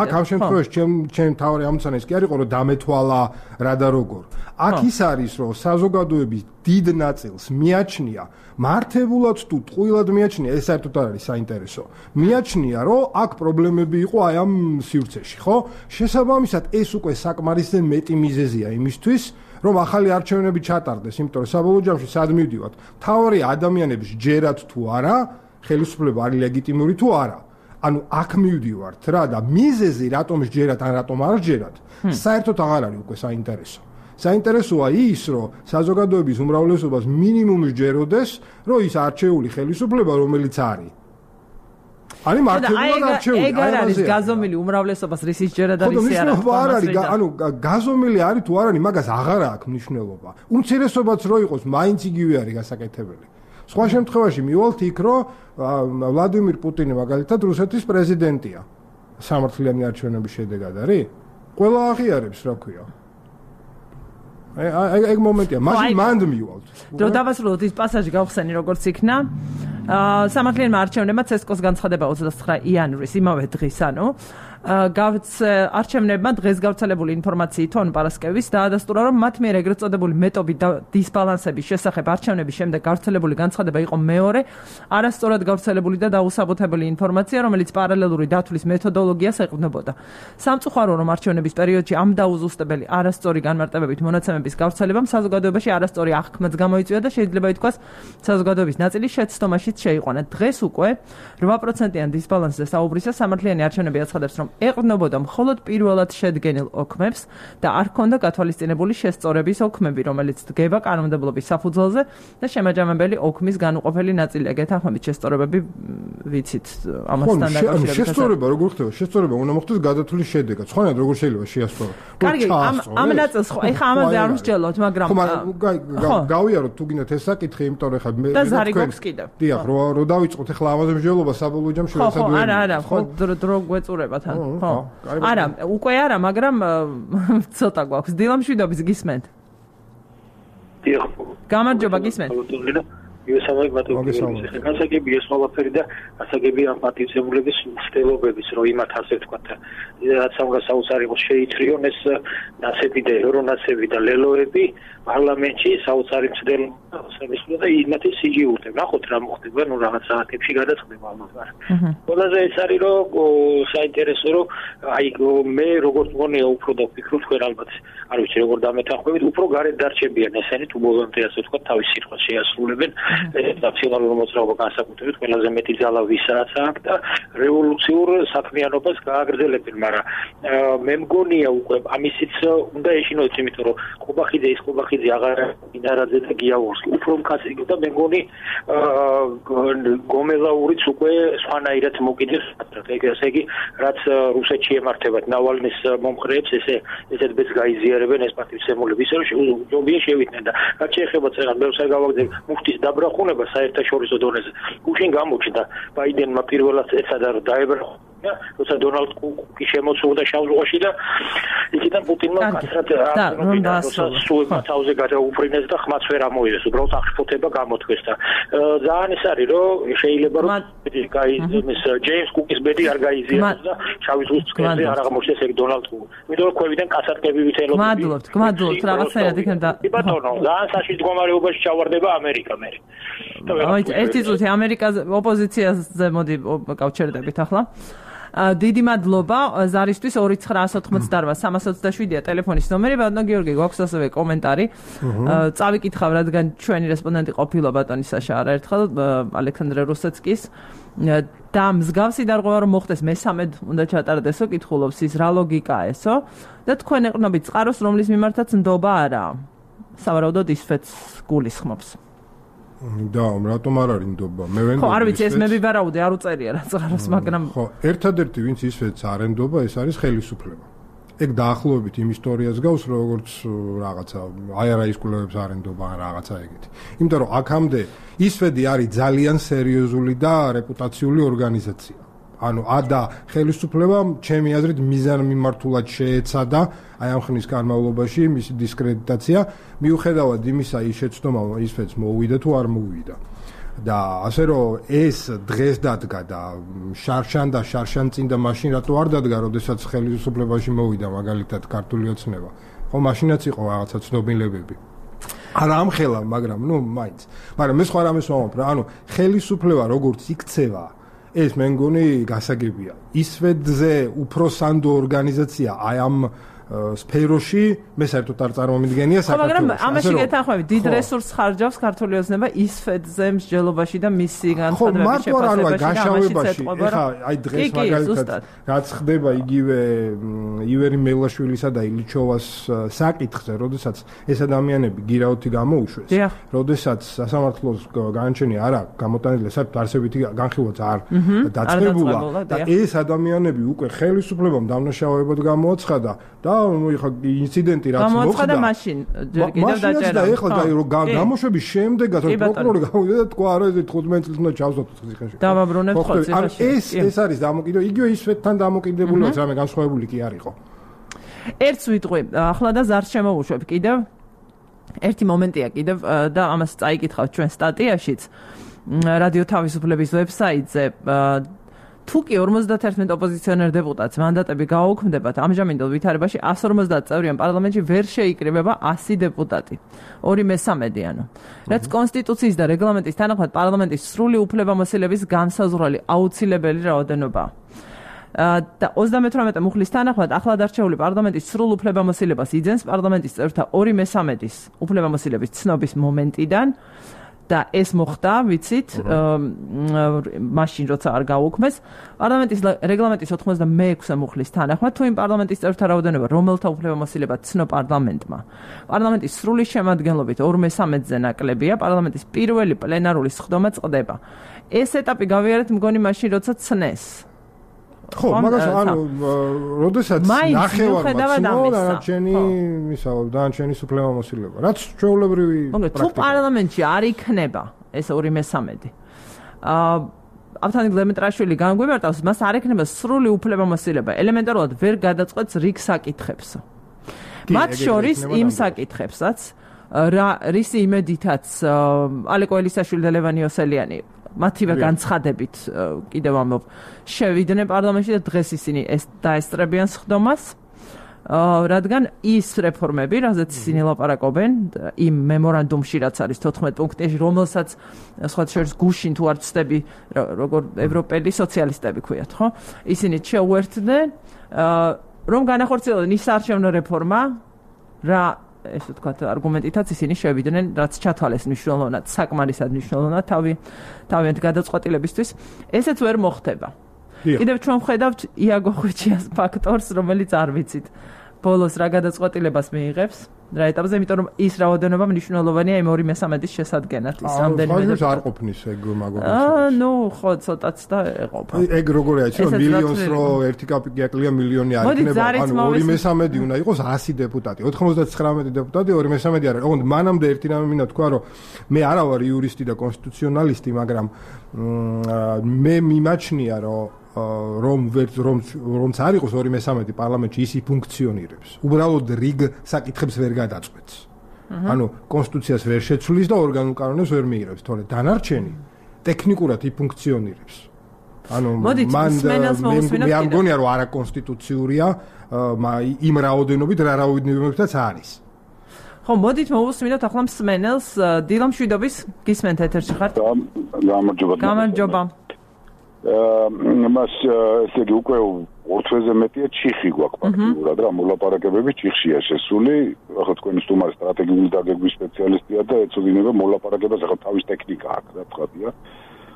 აქ ამ შემთხვევაში ჩემ ჩემ თავი ამცანეს კი არისო რომ დამეთვალა რა და როგორ აქ ის არის რომ საზოგადოების დიდ ნაწილს მიაჩნია მართებულად თუ ტყუილად მიაჩნია ეს საერთოდ არ არის საინტერესო მიაჩნია რომ აქ პრობლემები იყო აი ამ სივრცეში ხო შესაბამისად ეს უკვე საკმარისზე მეტი მიზეზია იმისთვის რომ ახალი არჩევნები ჩატარდეს, იმიტომ რომ საბოლოო ჯამში სად მივდივართ, თავი ადამიანების ჯერათ თუ არა, ხელისუფლება არის ლეგიტიმური თუ არა. ანუ აქ მივდივართ რა და მიზეზი რატომ ჯერათ ან რატომ არ ჯერათ, საერთოდ აღარ არის უკვე საინტერესო. საინტერესოა ის, რომ საზოგადოების უმრავლესობას მინიმუმი ჯეროდეს, რომ ის არჩეული ხელისუფლება რომელიც არის არის მართლაც არჩეული. ეგ არ არის გაზომილი უმრავლესობას რისის ჯერად არის არა. ხო, არ არის, ანუ გაზომილი არის თუ არ არის, მაგას აღარა აქვს მნიშვნელობა. უმცირესობაც რო იყოს, მაინც იგივე არის გასაკეთებელი. სხვა შემთხვევაში მივალთ იქ, რომ ვლადიმირ პუტინი მაგალითად რუსეთის პრეზიდენტია. სამართლიანი არჩევნების შედეგად არის? ყველა აღიარებს, რა ქვია. აი, ეგ მომენტია, მაშინ მანდ მივალთ. რო დავასრულოთ ის პასაჟი გავხსენი როგორც იქნა. სამართლიანმა არჩევნებმა ცესკოს განცხადება ოცდათსხრა იანვრის იმავე დღის ანუ არჩევნებმა დღეს გავრცელებული ინფორმაციით თონ პარასკევის დაადასტურა რომ მათ მიერ ეგრეთ წოდებული მეტობის და დისბალანსების შესახებ არჩევნების შემდეგ გავრცელებული განცხადება იყო მეორე არასწორად გავრცელებული და დაუსაბუთებელი ინფორმაცია რომელიც პარალელური დათვლის მეთოდოლოგიას ეყრდნობოდა სამწუხარო რომ არჩევნების პერიოდში ამ დაუზუსტებელი არასწორი განმარტებებით მონაცემების გავრცელებამ საზოგადოებაში არასწორი აღქმაც გამოიწვია და შეიძლება ითქვას საზოგადოების ნაწილი შეცდომაშიც შეიყვანა დღეს უკვე რვა პროცენტიან დისბალანსზე საუბრისას სამართლიანი არჩევნები აცხადებს რომ ეყრდნობოდა მხოლოდ პირველად შედგენილ ოქმებს და არ ჰქონდა გათვალისწინებული შესწორების ოქმები, რომელიც დგება კანონმდებლობის საფუძველზე და შემაჯამებელი ოქმის განუყოფელი ნაწილია. გეთანხმებით შესწორებები ვიცით ამასთან დაკავშირებით. შესწორება როგორ ხდება? შესწორება უნდა მოხდეს გადათვლის შედეგად. სხვანაირად როგორ შეიძლება შეასწორო? კარგი, ამ ნაწილს ხო, ეხა ამაზე არ ვსჯელოთ, მაგრამ ხო, გავიაროთ თუ გინდათ ეს საკითხი, იმიტომ რომ ეხა მე და ზარი გვაქვს კიდევ. დიახ, რო დავიწყოთ ეხლა ამაზე მსჯელობა საბოლოო ჯამში ვეცადოთ. ხო, არა, არა, ხო, დრო გვეწურებათ. ხო. არა, უკვე არა, მაგრამ ცოტა გვაქვს. დილამშვიდობის გისმენთ. დიახ. გამარჯობა, გისმენთ. იესამයි ბატონო. განსაკუთრებით ეს ყველაფერი და ასაგები ამ პატივცემულების მცდელობების, რომ იმათ ასე ვთქვათ, რაც ამას საოცარი იყო შეიწრიონ ეს ნაცები და ევრონაცები და ლელოები პარლამენტში საოცარი მცდელობა სამისლა და იმათი სიგიურდე. ნახოთ რა მოხდება, ნუ რაღაც საათებში გადაწყდება ამას. ყველაზე ეს არის რომ საინტერესო რომ აი მე როგორც მგონია უფრო და ვფიქრობ თქვენ ალბათ არ ვიცი როგორ დამეთანხმებით, უფრო გარეთ დარჩებიან ესენი თუ ბოლომდე ასე ვთქვათ თავის სიტყვას შეასრულებენ. ნაციონალურ მოძრაობა განსაკუთრებით ყველაზე მეტი ძალა ვისაც აქვს და რევოლუციურ საქმიანობას გააგრძელებენ, მაგრამ მე მგონია უკვე ამისიც უნდა ეშინოდეს, იმიტომ რომ ყობახიძე ის ყობახიძე აღარ ინარაძე და გიაურსკი უფრო მკაცრი და მე მგონი გომელაურიც უკვე სხვანაირად მოკიდეს, ესე იგი რაც რუსეთში ემართებათ ნავალნის მომხრეებს ესე ესეთ ბედს გაიზიარებენ ეს პატივცემულები, ისე რომ ჯობია შევიდნენ და რაც შეეხება წერას მე ვსა გავაგზავნე მუხტის დაბრახუნება საერთაშორისო დონეზე. გუშინ გამოჩნდა ბაიდენმა პირველად ეცადა რომ დაებრახო როცა დონალდ კუკი შემოწურდა შავ ზღვაში და იქიდან პუტინმა კაცრად აღნიშნა რომ სულ თავზე გადაუფრინეს და ხმაც ვერ ამოიღეს, უბრალოდ აღშფოთება გამოთქვეს და ძალიან ის არის რომ შეიძლება რომ გაიზიაროს ჯეიმს კუკის ბედი არ გაიზიაროს და შავი ზღვის წკეზე არ აღმოჩნდეს ეგ დონალდ კუკი. იმიტომ რომ ქვევიდან კაცარკები ვითელობდნენ. მადლობთ, გმადლობთ რაღაცნაირად იქნება. ბატონო, ძალიან საშიშ მდგომარეობაში ჩავარდება ამერიკა მე. აი, ერთი წუთი ამერიკაზე ოპოზიციაზე მოდი გავჩერდებით ახლა. დიდი მადლობა ზარისთვის ორი ცხრა ოთხმოცდაოთხ სამას ოცდაშვიდია ტელეფონის ნომერი. ბატონო გიორგი, გვაქვს ასევე კომენტარი. წავიკითხავ, რადგან ჩვენი რესპონდენტი ყოფილა ბატონი საშა არაერთხელ ალექსანდრე რუსეცკის და მსგავსი დარღვევა რომ მოხდეს მესამედ უნდა ჩატარდესო, კითხულობს ის რა ლოგიკაა ესო და თქვენ ეყნობით წყაროს, რომლის მიმართაც ნდობა არაა. სავარაუდოდ ისვეთს გულისხმობს. და რატომ არ არის ნდობა? მე ვენდობ. ხო, არ ვიცი, ეს მე ვიბარაუდე, არ უწერია რა წყაროს, მაგრამ ხო, ერთადერთი ვინც ისვეთს არ ენდობა, ეს არის ხელისუფლება. ეგ დაახლოებით იმ ისტორიას გავს, როგორც რაღაცა აი არა ის კვლევებს არ ენდობა ან რაღაცა ეგეთი. იმიტომ რომ აქამდე ისვედი არის ძალიან სერიოზული და რეპუტაციული ორგანიზაცია. ანუ ადა ხელისუფლებამ ჩემი აზრით მიზანმიმართულად შეეცადა აი ამ ხნის განმავლობაში მისი დისკრედიტაცია, მიუხედავად იმისა, ის შეცდომა ისვეთს მოუვიდა თუ არ მოუვიდა. და ასე რომ ეს დღეს დადგა და შარშან და შარშან წინ და მაშინ რატო არ დადგა, როდესაც ხელისუფლებაში მოვიდა მაგალითად ქართული ოცნება. ხო, მაშინაც იყო რაღაცა ცნობილებები. არა ამხელა, მაგრამ ნუ მაინც. მაგრამ მე სხვა რამეს ვამბობ რა, ანუ ხელისუფლება როგორც იქცევა, ეს მე მგონი გასაგებია. ისვედზე უფრო სანდო ორგანიზაცია აი ამ სფეროში მე საერთოდ არ წარმომიდგენია საქართველოს. მაგრამ ამაში გეთანხმები, დიდ რესურსს ხარჯავს ქართული ოცნება ისვედზე მსჯელობაში და მისი განცხადებების შეფასებაში. ეხლა აი დღეს მაგალითად რაც ხდება იგივე ივერი მელაშვილისა და ილიჩოვას საკითხზე, როდესაც ეს ადამიანები გირაოთი გამოუშვეს, როდესაც სასამართლოს განაჩენი არ აქვს გამოტანილი, საერთოდ არსებითი განხილვაც არ დაწყებულა და ეს ადამიანები უკვე ხელისუფლებამ დამნაშავეებად გამოაცხადა და ხა ინციდენტი რაც მოხდა გამოაცხადა მაშინ ჯერ კიდევ დაჭერა და ეხლა და რომ გამოშვების შემდეგაც პროკურორი გავიდა და თქვა არა ეს თხუთმეტ წელს უნდა ჩავსვათ ციხეში დავაბრუნებთ ხო ციხეში ეს ეს არის დამოკიდებული იგივე ისვეთთან დამოკიდებულიაც რამე განსხვავებული კი არ იყო ერთს ვიტყვი ახლა და ზარს შემოვუშვებ კიდევ ერთი მომენტია კიდევ და ამას წაიკითხავთ ჩვენ სტატიაშიც რადიო თავისუფლების ვებსაიტზე თუ კი ორმოცდაერთმეტ ოპოზიციონერ დეპუტატს მანდატები გააუქმდებათ, ამჟამინდელ ვითარებაში εκατს ორმოცდაათ წევრიან პარლამენტში ვერ შეიკრიბება ასი დეპუტატი. ორი მესამედი ანუ. რაც კონსტიტუციის და რეგლამენტის თანახმად პარლამენტის სრული უფლებამოსილების განსაზღვრელი აუცილებელი რაოდენობაა. და ოცდამეთვრამეტე მუხლის თანახმად ახლად არჩეული პარლამენტის სრულ უფლებამოსილებას იძენს პარლამენტის წევრთა ორი მესამედის უფლებამოსილების ცნობის მომენტიდან და ეს მოხდა, ვიცით, მაშინ როცა არ გაუქმეს, პარლამენტის რეგლამენტის ოცდამეექვსე მუხლის თანახმად, თუ იმ პარლამენტის წევრთა რაოდენობა, რომელთა უფლებამოსილება ცნო პარლამენტმა, პარლამენტის სრული შემადგენლობით ორ მესამედზე ნაკლებია, პარლამენტის პირველი პლენარული სხდომა წყდება. ეს ეტაპი გავიარეთ მგონი მაშინ, როცა ცნეს. ხო, მაგას ანუ, როდესაც ნახევარმა ცნო დანარჩენი, ისა, დანარჩენი უფლებამოსილება. რაც ჩვეულებრივი პრაქტიკა. თუ პარლამენტში არ იქნება ეს ორი მესამედი. აა ავთანდილ დემეტრაშვილი განგვიმარტავს, მას არ ექნება სრული უფლებამოსილება. ელემენტარულად ვერ გადაწყვეტს რიგ საკითხებს. მათ შორის იმ საკითხებსაც, რა რისი იმედითაც ალეკო ელისაშვილი და ლევან იოსელიანი მათივე განცხადებით კიდევ ამბობ შევიდნენ პარლამენტში და დღეს ისინი ეს დაესწრებიან სხდომას რადგან ის რეფორმები რაზეც ისინი ლაპარაკობენ იმ მემორანდუმში რაც არის თოთხმეტ პუნქტში რომელსაც სხვა შორის გუშინ თუ არ ვწდები როგორ ევროპელი სოციალისტები ქვიათ ხო ისინი შეუერთდნენ რომ განახორციელონ ის არჩევნო რეფორმა რა ესე ვთქვათ, არგუმენტითაც ისინი შევიდნენ, რაც ჩათვალეს მნიშვნელოვნად, საკმარისად მნიშვნელოვნად თავი თავიანთ გადაწყვეტილებისთვის. ესეც ვერ მოხდება. კიდევ ჩვენ ვხედავთ იაგო ხვიჩიას ფაქტორს, რომელიც არ ვიცით. ბოლოს რა გადაწყვეტილებას მიიღებს, რა ეტაპზე, იმიტომ რომ ის რაოდენობა მნიშვნელოვანია იმ ორი მესამედის შესადგენად, ის რამდენიმე და არ ყოფნის ეგ მაგობრებს. აა, ნუ ხო, ცოტაც და ეყოფა. ეგ როგორია, იცი რომ მილიონს რო ერთი კაპიკაკლია მილიონი არ იქნება, ანუ ორი მესამედი უნდა იყოს ასი დეპუტატი, ოთხმოცდათხრამეტი დეპუტატი, ორი მესამედი არ არის. ოღონდ მანამდე ერთი რამე მინდა თქვა, რომ მე არა ვარ იურისტი და კონსტიტუციონალისტი, მაგრამ მე მიმაჩნია, რომ რომ რომ რომც არ იყოს ორი მესამედი პარლამენტში ისი ფუნქციონირებს. უბრალოდ რიგ საკითხებს ვერ გადაწყვეტს. ანუ კონსტიტუციას ვერ შეცვლის და ორგანულ კანონებს ვერ მიიღებს, თორე დანარჩენი ტექნიკურად იფუნქციონირებს. ანუ მან მე არ მგონია რომ არაკონსტიტუციურია იმ რაოდენობით რა რაოდენობითაც არის. ხო, მოდით მოვუსმინოთ ახლა მსმენელს დილა მშვიდობის გისმენთ ეთერში ხართ? გამარჯობა. გამარჯობა. მას ესე იგი უკვე ორ თვეზე მეტია ჩიხი გვაქვს ფაქტიურად რა მოლაპარაკებები ჩიხშია შესული ახლა თქვენი სტუმარი სტრატეგიული დაგეგმვის სპეციალისტია და ეცოდინება მოლაპარაკებას ახლა თავის ტექნიკა აქვს რა თქვია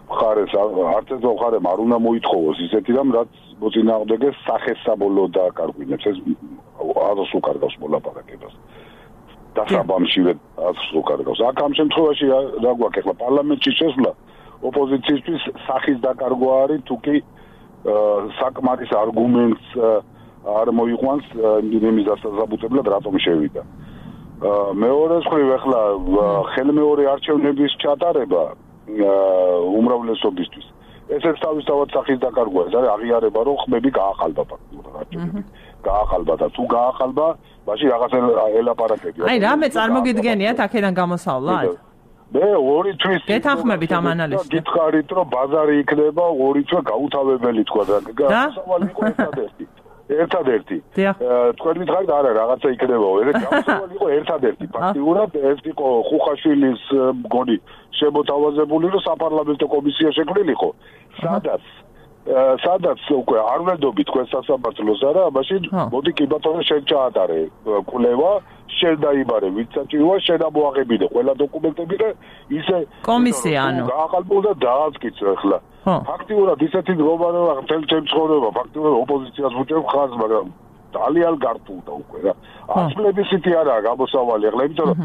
მხარეს არც ეს მხარემ არ უნდა მოითხოვოს ისეთი რამ რაც მოწინააღმდეგეს სახესაბოლოო დააკარგვინებს ეს აზრს უკარგავს მოლაპარაკებას დასაბამშივე აზრს უკარგავს აქ ამ შემთხვევაში რა გვაქვს ახლა პარლამენტში შესვლა ოპოზიციისთვის სახის დაკარგვა არის თუ კი საკმარის არგუმენტს არ მოიყვანს იმის დასაზაბუტებლად რატომ შევიდა მეორე მხრივ ახლა ხელმეორე არჩევნების ჩატარება უმრავლესობისთვის ესეც თავისთავად სახის დაკარგვა ეს არის აღიარება რომ ხმები გაახალბა ფაქტობრივად არჩევნები გაახალბა და თუ გაახალბა მაშინ რაღაც ელაპარაკები აი რამე წარმოგიდგენიათ აქედან გამოსავლად მე ორი თვის გეთანხმებით ამ ანალიზს გითხარით რომ ბაზარი იქნება ორი თვე გაუთავებელი თქვა და გამოსავალი იყო ერთადერთი ერთადერთი თქვენ მითხარით არა რაღაცა იქნება ეს გამოსავალი იყო ერთადერთი ფაქტიურად ეს იყო ხუხაშვილის მგონი შემოთავაზებული რომ საპარლამენტო კომისია შექმნილიყო სადაც სადაც უკვე არ ვერდობი თქვენ სასამართლოს არა მაშინ მოდი კი ბატონო შენ ჩაატარე კვლევა შენ დაიბარე ვინც საჭიროა შენ ამოაღებინე ყველა დოკუმენტები და ისე კომისია ანუ გააყალბო და დააწკიცო ახლა ფაქტიურად ისეთი გლობალურა მთელ ჩემ ცხოვრება ფაქტიურად ოპოზიციას ვუჭერებ ხაზს მაგრამ ძალიან გართულდა უკვე რა აცლებისითი არაა გამოსავალი ახლა იმიტომ რომ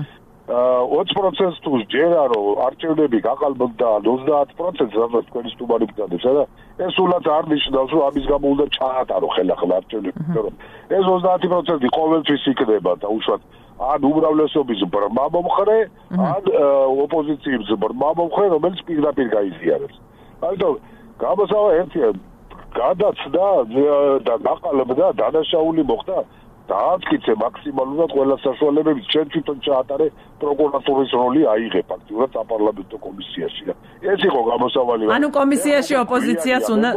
ოცი პროცენტს თუ ჯერა რომ არჩევნები გაყალბდა ოცდაათ პროცენტს სადაც თქვენი სტუმარი ბრძანებს რა ეს სულაც არ ნიშნავს რომ ამის გამო უნდა ჩაატარო ხელახლა არჩევნები იმიტომ რომ ეს ოცდაათი პროცენტი ყოველთვის იქნება და უშუალოდ ან უმრავლესობის ბრმა მომხრე ან ოპოზიციის ბრმა მომხრე რომელიც პირდაპირ გაიზიარებს ამიტომ გამოსავა ერთია გადაცდა და გაყალბდა დანაშაული მოხდა დააწკიცე მაქსიმალურად ყველა საშუალებებით შენ თვითონ ჩაატარე პროკურატურის როლი აიღე ფაქტიურად საპარლამენტო კომისიაში და ეს იყო გამოსავალი ანუ კომისიაში ოპოზიციას უნდა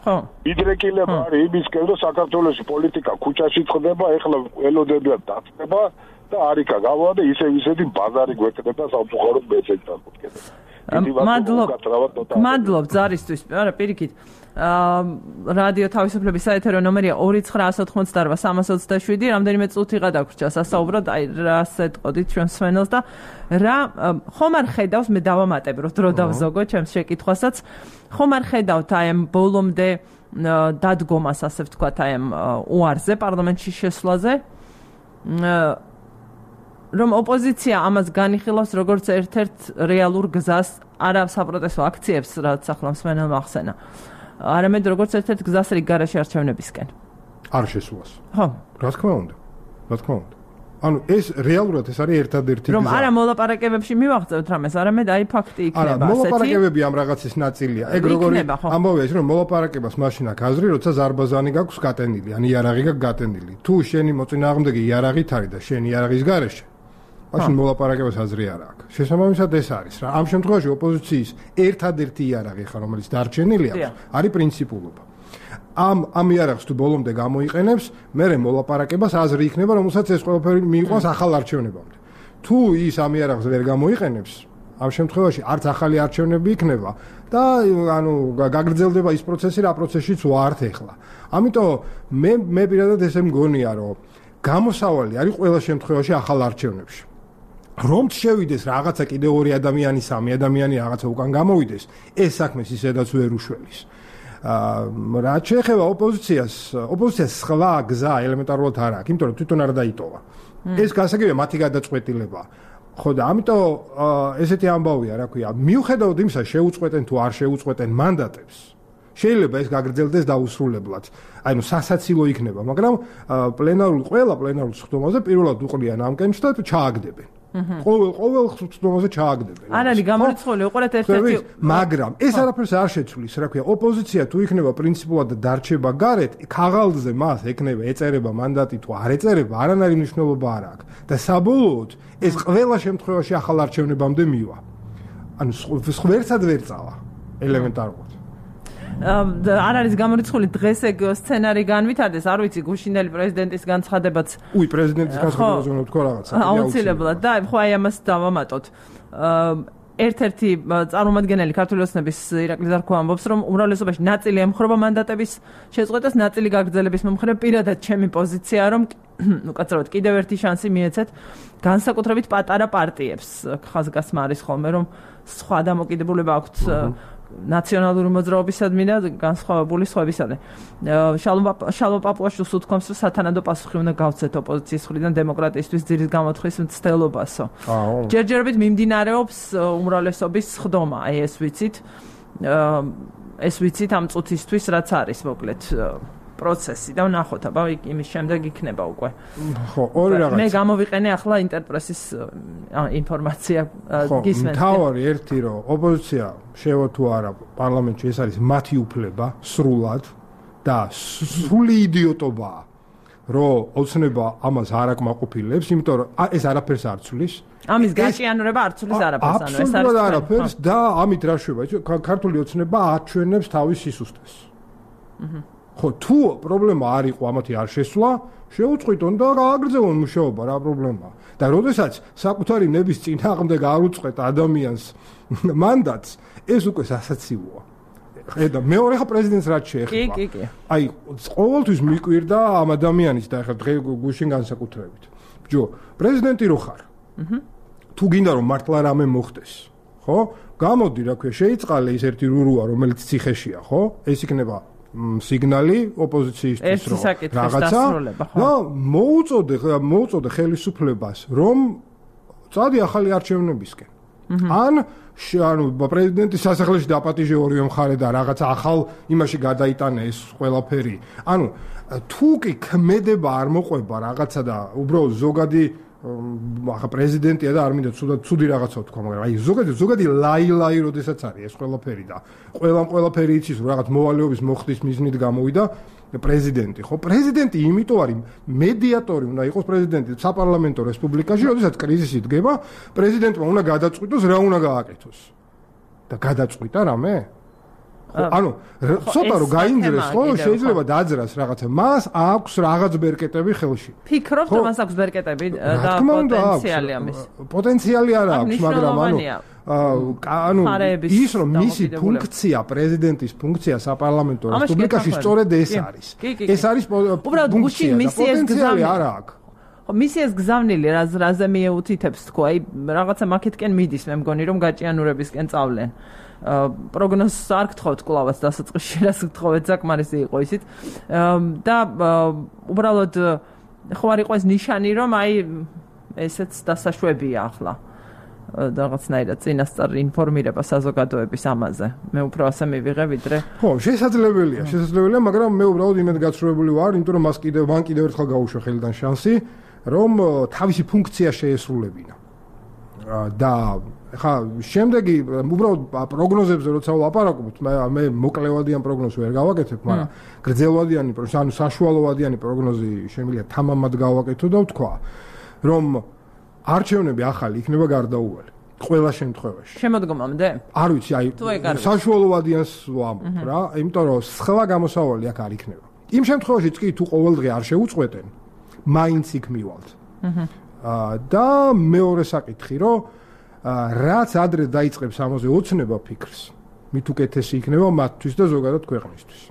ხო იდრეკილება არის იმისკენ რომ საქართველოს პოლიტიკა ქუჩაში ხდება ეხლა ელოდებიან დაწება და არიქა გავა და ისე ისეთი ბაზარი გვეკდება სამწუხაროდ მეცეჭთან მოკედა მადლობ მადლობ ზარისთვის არა პირიქით რადიო თავისუფლების საეთერო ნომერია ორი ცხრა ათი ოთხმოცდაარბა სამას ოცდაშვიდი რამდენიმე წუთი გადაგვრჩა სასაუბროდ აი რას ეტყოდით ჩვენ სვენელს და რა ხომ არ ხედავს მე დავამატებ რომ დრო დავზოგო ჩემს შეკითხვასაც ხომ არ ხედავთ აი ამ ბოლომდე დადგომას ასე ვთქვათ აი ამ უარზე პარლამენტში შესვლაზე რომ ოპოზიცია ამას განიხილავს როგორც ერთ-ერთ რეალურ გზას არა საპროტესტო აქციებს რაც ახლა მსმენელმა ახსენა არამედ როგორც ერთ-ერთ გზას რიგ გარეშე არჩევნებისკენ არ შესვლას ხო რა თქმა უნდა რა თქმა უნდა ანუ ეს რეალურად ეს არის ერთადერთი გზა რომ არა მოლაპარაკებებში მივაღწევთ რამეს არამედ აი ფაქტი იქნება ასეთი არა მოლაპარაკებები ამ რაღაცის ნაწილია ეგ როგორი ამბავია ის რომ მოლაპარაკებას მაშინ აქვს აზრი როცა ზარბაზანი გაქვს გატენილი ან იარაღი გაქვს გატენილი თუ შენი მოწინააღმდეგე იარაღით არის და შენ იარაღის გარეშე მაშინ მოლაპარაკებას აზრი არ აქვს. შესაბამისად ეს არის რა. ამ შემთხვევაში ოპოზიციის ერთადერთი იარაღი ხარ, რომელიც დარჩენილი აქვს, არის პრინციპულობა. ამ ამ იარაღს თუ ბოლომდე გამოიყენებს, მერე მოლაპარაკებას აზრი იქნება, რომელსაც ეს ყველაფერი მიიყვანს ახალ არჩევნებამდე. თუ ის ამ იარაღს ვერ გამოიყენებს, ამ შემთხვევაში არც ახალი არჩევნები იქნება და ანუ გაგრძელდება ის პროცესი, რა პროცესშიც ვართ ახლა. ამიტომ მე მე პირადად ესე მგონია, რომ გამოსავალი არის ყველა შემთხვევაში ახალ არჩევნებში. რომ შევიდეს რაღაცა კიდე ორი ადამიანი, სამი ადამიანი რაღაცა უკან გამოვიდეს, ეს საქმეს ისედაც ვერ უშველის. აა რა შეეხება ოპოზიციას, ოპოზიციას სხვა გზა ელემენტარულად არ აქვს, იმიტომ რომ თვითონ არ დაიტოვა. ეს გასაგებია მათი გადაწყვეტილება. ხო და ამიტომ ესეთი ამბავია, რა ქვია, მიუხედავად იმისა, შეუწყვეტენ თუ არ შეუწყვეტენ მანდატებს, შეიძლება ეს გაგრძელდეს დაუსრულებლად. აი ნუ სასაცილო იქნება, მაგრამ პლენარული ყველა პლენარულ სხდომაზე პირველად უყრიან ამკენს და ჩააგდებენ. ყოველ ყოველ სხდომაზე ჩააგდებენ. არ არის გამორიცხული, უყურეთ ერთ-ერთი, მაგრამ ეს არაფერს არ შეცვლის, რა ქვია, ოპოზიცია თუ იქნება პრინციპულად დარჩება გარეთ, ქაღალდზე მას ეკნება ეწერება მანდატი თუ არ ეწერება, არანაირი მნიშვნელობა არ აქვს. და საბოლოოდ ეს ყველა შემთხვევაში ახალ არჩევნებამდე მივა. ანუ ვერცად ვერ წავა ელემენტარულად. არ არის გამორიცხული დღეს ეგ სცენარი განვითარდეს, არ ვიცი, გუშინელი პრეზიდენტის განცხადებაც. უი, პრეზიდენტის განცხადებაზე უნდა თქვა რაღაცა. აუცილებლად და ხო აი ამას დავამატოთ. ერთ-ერთი წარმომადგენელი ქართული ოცნების ირაკლი ზარქო ამბობს, რომ უმრავლესობაში ნაწილი ემხრობა მანდატების შეწყვეტას, ნაწილი გაგრძელების მომხრე. პირადად ჩემი პოზიციაა, რომ უკაცრავად კიდევ ერთი შანსი მიეცეთ განსაკუთრებით პატარა პარტიებს. ხაზგასმა არის ხოლმე, რომ სხვა დამოკიდებულება აქვთ ნაციონალური მოძრაობისადმი და განსხვავებული სხვებისადმი. შალვა პაპუაშვილს უთქვამს, რომ სათანადო პასუხი უნდა გავცეთ ოპოზიციის მხრიდან დემოკრატიისთვის ძირის გამოთხრის მცდელობასო. ჯერჯერობით მიმდინარეობს უმრავლესობის სხდომა, აი ეს ვიცით. ეს ვიცით ამ წუთისთვის რაც არის მოკლედ პროცესი და ვნახოთ, აბა იმის შემდეგ იქნება უკვე. ხო, ორი რაღაც. მე გამოვიყენე ახლა ინტერპრესის ინფორმაცია გისმენთ. თავი ერთი რომ ოპოზიცია შევა თუ არა პარლამენტში ეს არის მათი უფლება სრულად და სრული იდიოტობაა რომ ოცნება ამას არ აკმაყოფილებს, იმიტომ რომ ეს არაფერს არ ცვლის. ამის გაჭიანურება არ ცვლის არაფერს, ანუ ეს არის არაფერს და ამით რა შევა, ქართული ოცნება აჩვენებს თავის სისუსტეს. აჰა ხო თუ პრობლემა არ იყო ამათი არ შესვლა, შეუწყვიტონ და გააგრძელონ მუშაობა, რა პრობლემაა. და როდესაც საკუთარი ნების წინააღმდეგ არ უწყვეტ ადამიანს მანდატს, ეს უკვე სასაცილოა. ხედა, მეორე ხა პრეზიდენტს რაც შეეხება. კი, კი, კი. აი, ყოველთვის მიკვირდა ამ ადამიანის და ხა დღე გუშინ განსაკუთრებით. ბიჭო, პრეზიდენტი რო ხარ? აჰა. თუ გინდა რომ მართლა რამე მოხდეს, ხო? გამოდი, რა ქვია, შეიწყალე ის ერთი რურუა, რომელიც ციხეშია, ხო? ეს იქნება სიგნალი ოპოზიციისთვის რომ რაღაცა და მოუწოდე მოუწოდე ხელისუფლებას რომ წადი ახალი არჩევნებისკენ. ან ანუ პრეზიდენტის სასახლეში დაპატიჟე ორივე მხარე და რაღაცა ახალ იმაში გადაიტანე ეს ყველაფერი. ანუ თუ კი ქმედება არ მოყვება რაღაცა და უბრალოდ ზოგადი ახლა პრეზიდენტია და არ მინდა ცუდად ცუდი რაღაცა თქვა, მაგრამ აი ზოგადი ზოგადი ლაი-ლაი როდესაც არის ეს ყველაფერი და ყველამ ყველაფერი იცის რომ რაღაც მოვალეობის მოხდის მიზნით გამოვიდა პრეზიდენტი, ხო? პრეზიდენტი იმიტომ არის მედიატორი უნდა იყოს პრეზიდენტი საპარლამენტო რესპუბლიკაში, როდესაც კრიზისი დგება, პრეზიდენტმა უნდა გადაწყვიტოს რა უნდა გააკეთოს. და გადაწყვიტა რამე? ანუ ცოტა რომ გაინძრეს, ხო, შეიძლება დაძრას რაღაცა. მას აქვს რაღაც ბერკეტები ხელში. ფიქრობთ, რომ მას აქვს ბერკეტები და პოტენციალი ამის. პოტენციალი არ აქვს, მაგრამ ანუ ანუ ის რომ მისი ფუნქცია, პრეზიდენტის ფუნქცია საპარლამენტო რესპუბლიკაში სწორედ ეს არის. ეს არის ფუნქცია და პოტენციალი არ აქვს. ხო, მისი ეს გზავნილი რაც რაზე მიეუთითებს თქო, აი რაღაცა მაკეთკენ მიდის, მე მგონი რომ გაჭიანურებისკენ წავლენ. პროგნოზს არ გთხოვთ კლავაც დასაწყისში, რას გთხოვეთ, საკმარისი იყო ისიც. და უბრალოდ ხო არ იყო ეს ნიშანი, რომ აი ესეც დასაშვებია ახლა. რაღაცნაირად წინასწარ ინფორმირება საზოგადოების ამაზე. მე უფრო ასე მივიღე ვიდრე. ხო, შესაძლებელია, შესაძლებელია, მაგრამ მე უბრალოდ იმედ გაცრუებული ვარ, იმიტომ რომ მას კიდევ მან კიდევ ერთხელ გაუშვა ხელიდან შანსი, რომ თავისი ფუნქცია შეესრულებინა. და ხა შემდეგი უბრალოდ პროგნოზებზე როცა ვლაპარაკობთ, მე მოკლევადიან პროგნოზს ვერ გავაკეთებ, მაგრამ გრძელვადიანი, ანუ საშუალოვადიანი პროგნოზი შემიძლია თამამად გავაკეთო და ვთქვა, რომ არჩევნები ახალი იქნება გარდაუვალი ყველა შემთხვევაში. შემოდგომამდე? არ ვიცი, აი საშუალოვადიანს ვამბობ რა, იმიტომ რომ სხვა გამოსავალი აქ არ იქნება. იმ შემთხვევაშიც კი თუ ყოველდღე არ შეუწყვეტენ, მაინც იქ მივალთ. აჰა. და მეორე საკითხი, რომ რაც ადრე დაიწყებს ამაზე ოცნება ფიქრს, მით უკეთესი იქნება მათთვის და ზოგადად ქვეყნისთვის.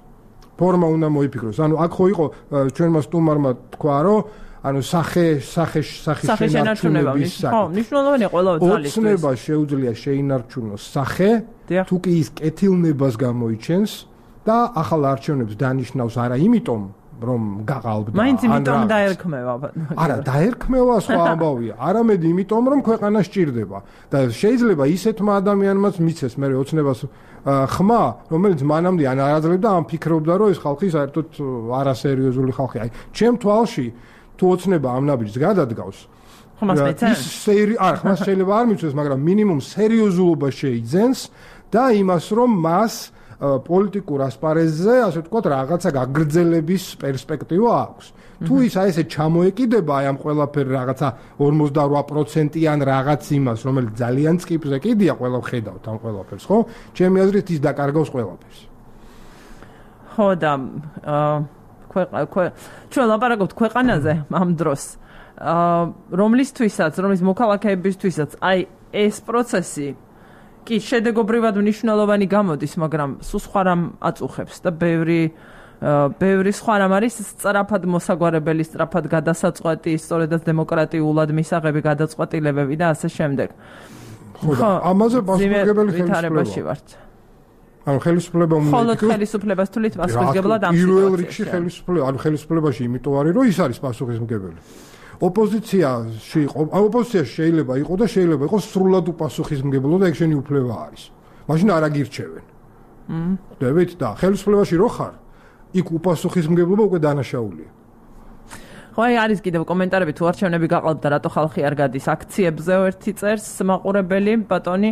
ფორმა უნდა მოიფიქროს. ანუ აქ ხო იყო ჩვენმა სტუმარმა თქვა, რომ ანუ სახე სახე სახე შენარჩუნების საკითხი. ხო, მნიშვნელოვანია ყველა ძალისთვის. ოცნება შეუძლია შეინარჩუნოს სახე, თუ კი ის კეთილნებას გამოიჩენს და ახალ არჩევნებს დანიშნავს არა იმიტომ რომ გაღალბდა. მაინც იმიტომ დაერქმევა. არა, დაერქმევა სხვა ამბავია. არამედ იმიტომ რომ ქვეყანა სჭირდება და შეიძლება ისეთმა ადამიანმაც მიცეს მე ოცნებას ხმა, რომელიც მანამდე ან არაძლებდა, ან ფიქრობდა, რომ ეს ხალხი საერთოდ არასერიოზული ხალხია. აი, ჩემ თვალში თუ ოცნება ამ ნაბიჯს გადადგავს, ხმას მეცენ? სერი, არა, ხმას შეიძლება არ მიცეს, მაგრამ მინიმუმ სერიოზულობა შეიძენს და იმას, რომ მას პოლიტიკურ ასპარეზზე, ასე ვთქვათ, რაღაცა გაგრძელების პერსპექტივა აქვს. თუ ის აი ესე ჩამოეკიდება აი ამ ყველაფერ რაღაცა ორმოცდაორი პროცენტიან რაღაც იმას, რომელიც ძალიან წკიპზე კიდია, ყველა ხედავთ ამ ყველაფერს, ხო? ჩემი აზრით ის დაკარგავს ყველაფერს. ხო და ჩვენ ლაპარაკობთ ქვეყანაზე ამ დროს, რომლისთვისაც, რომლის მოქალაქეებისთვისაც აი ეს პროცესი კი, შედეგობრივად მნიშვნელოვანი გამოდის, მაგრამ სულ სხვა რამ აწუხებს და ბევრი ბევრი სხვა რამ არის სწრაფად მოსაგვარებელი, სწრაფად გადასაწყვეტი, სწორედაც დემოკრატიულად მისაღები გადაწყვეტილებები და ასე შემდეგ. ხო, ამაზე პასუხისმგებელი ხელისუფლება ვართ. ანუ ხელისუფლება უნდა მხოლოდ ხელისუფლებას თulit პასუხისმგებლად ამ სიტუაციაში. პირველ რიგში ხელისუფლება, ანუ ხელისუფლებაში იმიტომ არის, რომ ის არის პასუხისმგებელი. ოპოზიციაში იყო, ოპოზიციაში შეიძლება იყოს და შეიძლება იყოს სრულად უპასუხისმგებლო და ეგ შენი უფლება არის. მაშინ არ აგირჩევენ. მმ. ხვდებით და ხელისუფლებაში რო ხარ, იქ უპასუხისმგებლობა უკვე დანაშაულია. ხო, აი არის კიდევ კომენტარები თუ არჩევნები გაყალბდა და რატო ხალხი არ გადის აქციებზე ერთი წერს მაყურებელი ბატონი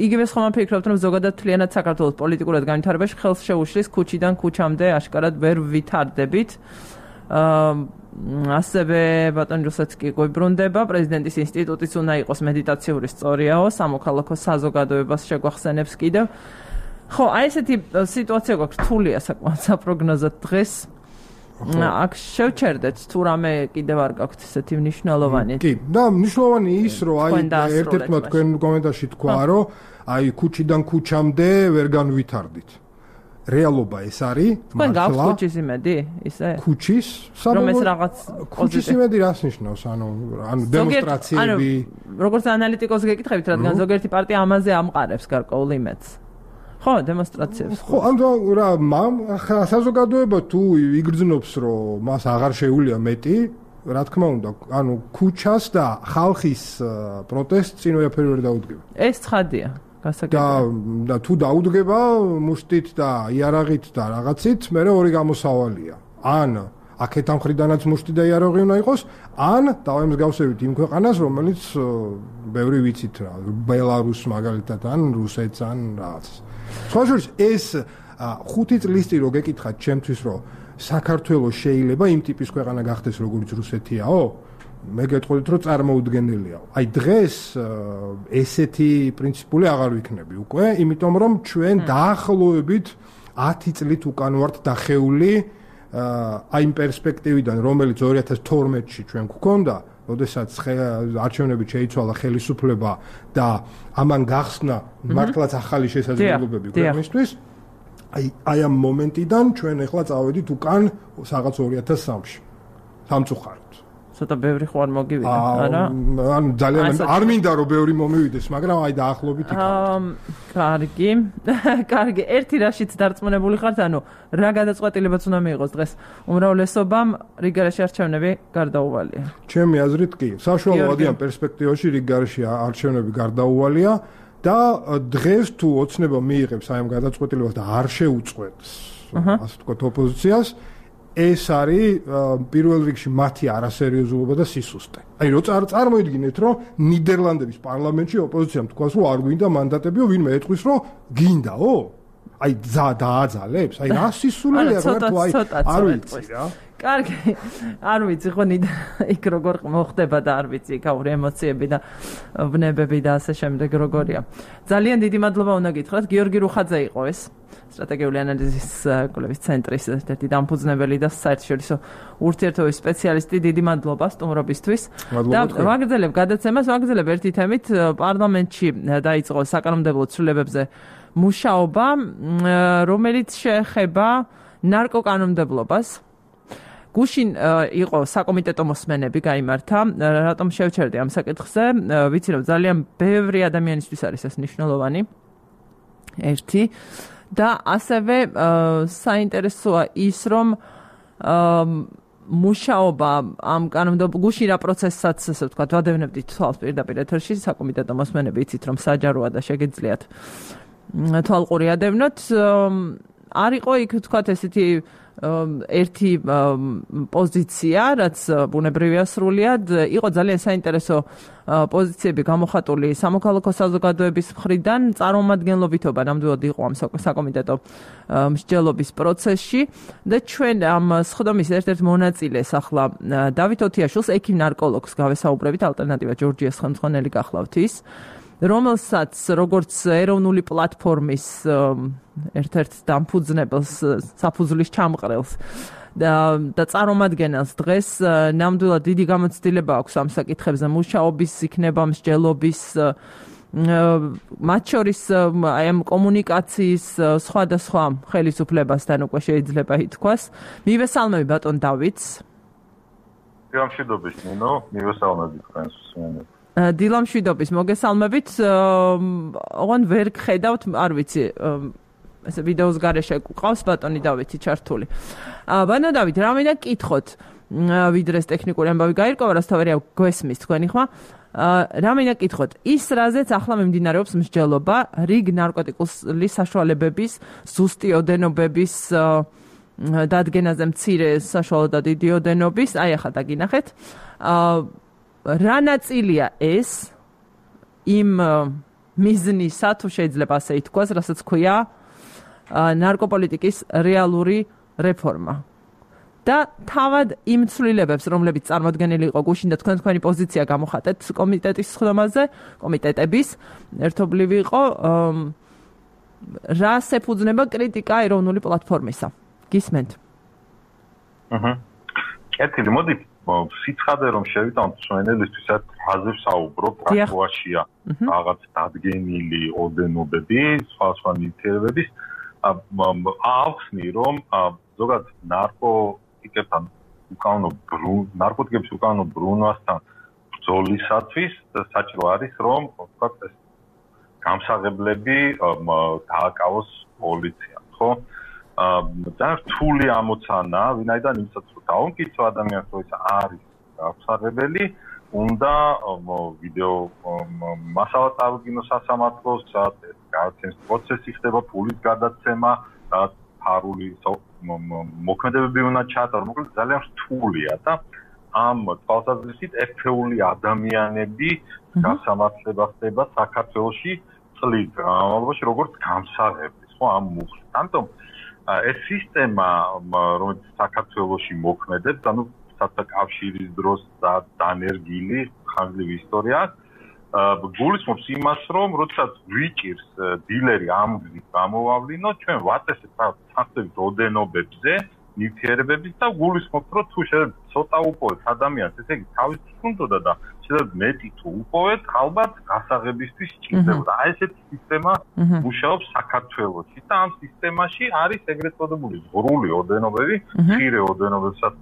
იგივე ხომ ფიქრობთ რომ ზოგადად თლიანად საქართველოს პოლიტიკურად განვითარებაში ხელს შეუშლის ქუჩიდან ქუჩამდე აშკარად ვერ ვითარდებით. ასევე ბატონი რუსეთსკი გვიბრუნდება პრეზიდენტის ინსტიტუტიც უნდა იყოს მედიტაციური სწორიაო სამოქალაქო საზოგადოებას შეგვახსენებს კიდევ. ხო, აი ესეთი სიტუაცია გვაქვს რთულია საკმაოდ საპროგნოზოდ დღეს. აქ შევჩერდეთ თუ რამე კიდევ არ გაქვთ ესეთი მნიშვნელოვანი. კი, და მნიშვნელოვანი ის რომ აი ერთ-ერთმა თქვენ კომენტარში თქვა რომ აი ქუჩიდან ქუჩამდე ვერ განვითარდით. რეალობა ეს არის თქვენ გაქვთ ქუჩის იმედი ისე ქუჩის რომ ეს რაღაც ქუჩის იმედი რას ნიშნავს ანუ ანუ დემონსტრაციები როგორც ანალიტიკოსს გეკითხებით რადგან ზოგიერთი პარტია ამაზე ამყარებს გარკვეულ იმედს ხო დემონსტრაციებს ხო ანუ რა მამ საზოგადოება თუ იგრძნობს რომ მას აღარ შეუძლია მეტი რა თქმა უნდა ანუ ქუჩას და ხალხის პროტესტს წინ ვერაფერი ვერ დაუდგება ეს ცხადია და და თუ დაუდგება მუშტით და იარაღით და რაღაცით, მე ორი გამოსავალია. ან აქეთ ამ ხრიდანაც მუშტი და იარაღი უნდა იყოს, ან დავემსგავსებით იმ ქვეყანას, რომელიც ბევრი ვიცით რა, ბელარუსს მაგალითად, ან რუსეთს, ან რაღაც. სხვაშორის ეს ხუთი წლისტი რო გეკითხათ ჩემთვის, რომ საქართველოს შეიძლება იმ ტიპის ქვეყანა გახდეს, როგორც რუსეთიაო? მე გეტყოდით რომ წარმოუდგენელია. აი დღეს ესეთი პრინციპული აღარ ვიქნები უკვე, იმიტომ რომ ჩვენ დაახლოებით ათი წლით უკან ვართ დახეული აი იმ პერსპექტივიდან, რომელიც ორი ათას თორმეტში ჩვენ გვქონდა, როდესაც არჩევნებით შეიცვალა ხელისუფლება და ამან გახსნა მართლაც ახალი შესაძლებლობები ქვეყნისთვის. აი აი ამ მომენტიდან ჩვენ ახლა წავედით უკან რაღაც ორი ათას სამში. სამწუხაროდ ცოტა ბევრი ხო არ მოგივიდა, არა? ანუ ძალიან არ მინდა რომ ბევრი მომივიდეს, მაგრამ აი დაახლოებით იქ. აა, კარგი. კარგი, ერთი რაშიც დარწმუნებული ხართ, ანუ რა გადაწყვეტილებაც უნდა მიიღოს დღეს უმრავლესობამ რიგარაში არჩევნები გარდაუვალია. ჩემი აზრით კი, საშუალო ადიან პერსპექტივაში რიგარაში არჩევნები გარდაუვალია და დღეს თუ ოცნება მიიღებს აი ამ გადაწყვეტილებას და არ შეუწყვეტს, ასე ვთქვათ, ოპოზიციას ეს არის პირველ რიგში მათი არასერიოზულობა და სისუსტე. აი რო წარმოიდგინეთ რომ ნიდერლანდების პარლამენტში ოპოზიციამ თქვას რომ არ გვინდა მანდატებიო, ვინმე ეთქვის რომ გინდაო? აი ძა დააძალებს? აი რა სისულელია რა თუ აი არ ვიცი რა. კარგი, არ ვიცი ხო ნიდ იქ როგორ მოხდება და არ ვიცი კაური ემოციები და ვნებები და ასე შემდეგ როგორია. ძალიან დიდი მადლობა უნდა გითხრათ, გიორგი რუხაძე იყო ეს. სტრატეგიული ანალიზის კვლევის ცენტრის ერთ-ერთი დამფუძნებელი და საერთაშორისო ურთიერთობების სპეციალისტი. დიდი მადლობა სტუმრობისთვის. და ვაგრძელებ გადაცემას, ვაგრძელებ ერთი თემით. პარლამენტში დაიწყო საკანონმდებლო ცვლილებებზე მუშაობა, რომელიც შეეხება ნარკოკანონმდებლობას. გუშინ იყო საკომიტეტო მოსმენები გაიმართა. რატომ შევჩერდი ამ საკითხზე? ვიცი რომ ძალიან ბევრი ადამიანისთვის არის ეს მნიშვნელოვანი. ერთი და ასევე საინტერესოა ის რომ მუშაობა ამ კანონმდებლობ გუშინ რა პროცესსაც ასე ვთქვათ ვადევნებდით თვალს პირდაპირ ეთერში საკომიტეტო მოსმენები იცით რომ საჯაროა და შეგიძლიათ თვალყური ადევნოთ არ იყო იქ ვთქვათ ესეთი ერთი პოზიცია, რაც ბუნებრივია სრულიად, იყო ძალიან საინტერესო პოზიციები გამოხატული სამოქალაქო საზოგადოების მხრიდან, წარმომადგენლობითობა ნამდვილად იყო ამ საკომიტეტო მსჯელობის პროცესში და ჩვენ ამ სხდომის ერთ-ერთ მონაწილეს ახლა დავით ოთიაშვილს, ექიმ ნარკოლოგს გავესაუბრებით, ალტერნატივა ჯორჯიას ხელმძღვანელი გახლავთ ის. რომელსაც როგორც ეროვნული პლატფორმის ერთ-ერთ დამფუძნებელს, საფუძვლის ჩამყრელს და და წარმომადგენელს დღეს ნამდვილად დიდი გამოცდილება აქვს ამ საკითხებზე მუშაობის, იქნება მსჯელობის მათ შორის აი ამ კომუნიკაციის სხვადასხვა ხელისუფლებასთან უკვე შეიძლება ითქვას. მივესალმები ბატონ დავითს. დილამშვიდობის ნინო, მივესალმები თქვენს მსმენელს. დილამშვიდობის მოგესალმებით. ოღონდ ვერ გხედავთ, არ ვიცი, ესე ვიდეოს გარეშე ყავს ბატონი დავითი ჩართული. ბატონ დავით, რა მინდა გკითხოთ, ვიდრე ეს ტექნიკური ამბავი გაირკვევა, რასთავარია გვესმის თქვენი ხმა. რა მინდა გკითხოთ, ის რაზეც ახლა მიმდინარეობს მსჯელობა რიგ ნარკოტიკული საშუალებების, ზუსტი ოდენობების დადგენაზე მცირე საშუალო და დიდი ოდენობის, აი ახლა დაგინახეთ. რა ნაწილია ეს იმ მიზნისა, თუ შეიძლება ასე ითქვას, რასაც ქვია ნარკოპოლიტიკის რეალური რეფორმა. და თავად იმ ცვლილებებს, რომლებიც წარმოდგენილი იყო გუშინ და თქვენ თქვენი პოზიცია გამოხატეთ კომიტეტის ხდომაზე, კომიტეტების ერთობლივი იყო, რას ეფუძნება კრიტიკა ეროვნული პლატფორმისა. გისმენთ? აჰა. კეთილი, მოდი სიცხადე რომ შევიტანოთ მსმენელისთვის, რაზე ვსაუბრობ, რა ქვაშია რაღაც დადგენილი ოდენობები, სხვა სხვა ნივთიერებების, ახსნი რომ ზოგადად ნარკოტიკებთან უკანონო ნარკოტიკების უკანონო ბრუნვასთან ბრძოლისათვის საჭირო არის რომ ვთქვათ ეს გამსაღებლები დააკავოს პოლიციამ, ხო? და რთული ამოცანა, ვინაიდან იმისაც რომ დაუმტკიცო ადამიანს რომ ეს არის გამსაღებელი, უნდა ვიდეო მასალა წავდგინოს სასამართლოს, გადაცემის პროცესი ხდება, ფულის გადაცემა, ფარული მოქმედებები უნდა ჩაატარო, მოკლედ ძალიან რთულია და ამ თვალსაზრისით ერთეული ადამიანები გასამართლება ხდება საქართველოში წლის განმავლობაში როგორც გამსაღებლის, ხო, ამ მუხლით. ამიტომ ეს სისტემა, რომელიც საქართველოში მოქმედებს, ანუ კავშირის დროს დანერგილი ხანგრძლივი ისტორია, გულისხმობს იმას, რომ როდესაც ვიჭირს დილერი ამ გზით გამოვავლინო, ჩვენ ვაწესებთ საფრთხების ოდენობებზე, ნივთიერებების და გულისხმობთ, რომ თუ შეიძლება ცოტა უპოვეთ ადამიანს, ესე იგი თავის თუნდოდა და შეიძლება მეტი თუ უპოვეთ, ალბათ გასაღებისთვის სჭირდებოდა. აი ესეთი სისტემა მუშაობს საქართველოში და ამ სისტემაში არის ეგრეთ წოდებული ზღვრული ოდენობები, მცირე ოდენობებსაც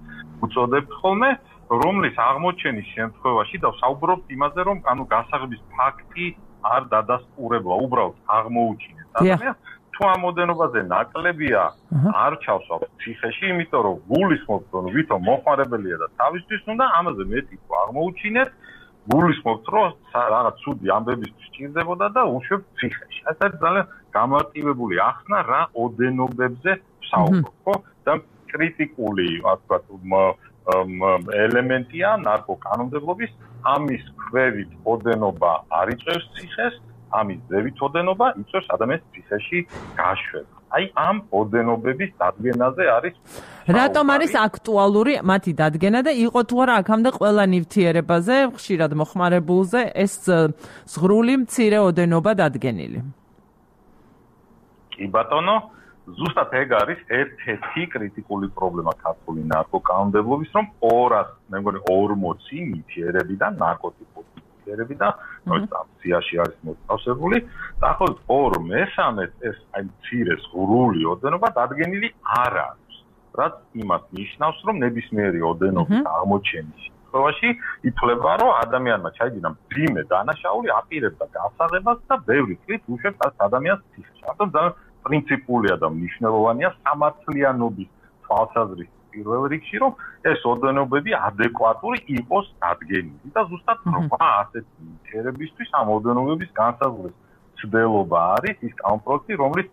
უწოდებთ ხოლმე, რომლის აღმოჩენის შემთხვევაში და ვსაუბრობთ იმაზე, რომ ანუ გასაღების ფაქტი არ დადასტურებულა, უბრალოდ აღმოუჩინეთ ადამიანს. თუ ამ ოდენობაზე ნაკლებია არ ჩავსვათ ციხეში, იმიტომ რომ გულისხმობთ, რომ ვითომ მოხმარებელია და თავისთვის უნდა ამაზე მეტი თუ აღმოუჩინეთ, გულისხმობთ, რომ რაღაც ცუდი ამბებისთვის სჭირდებოდა და უშვებთ ციხეში. ეს არის ძალიან გამარტივებული ახსნა რა ოდენობებზე ვსაუბრობ, ხო? და კრიტიკული, ასე ვთქვათ, ელემენტია ნარკოკანონმდებლობის, ამის ქვევით ოდენობა არ იწევს ციხეს, ამის ზევით ოდენობა იწევს ადამიანს ციხეში გაშვება. აი ამ ოდენობების დადგენაზე არის რატომ არის აქტუალური მათი დადგენა და იყო თუ არა აქამდე ყველა ნივთიერებაზე, ხშირად მოხმარებულზე ეს ზღვრული მცირე ოდენობა დადგენილი? კი ბატონო, ზუსტად ეგ არის ერთ-ერთი კრიტიკული პრობლემა ქართული ნარკოკანონმდებლობის, რომ ორას, მე მგონი ორმოცი ნივთიერები და ნარკოტიკული ნივთიერები და სიაში არის მოთავსებული, დაახლოებით ორ მესამეს ეს აი მცირე ზღვრული ოდენობა დადგენილი არ არის, რაც იმას ნიშნავს, რომ ნებისმიერი ოდენობის აღმოჩენის შემთხვევაში ითვლება, რომ ადამიანმა ჩაიდინა მძიმე დანაშაული, აპირებდა გასაღებას და ბევრი წლით უშვებს ამ ადამიანს ციხეში. ამიტომ ძალიან პრინციპულია და მნიშვნელოვანია სამართლიანობის თვალსაზრისით პირველ რიგში, რომ ეს ოდენობები ადეკვატური იყოს დადგენილი და ზუსტად რვა ასეთი ნივთიერებისთვის ამ ოდენობების განსაზღვრის ცდელობა არის ის კანონპროექტი, რომლის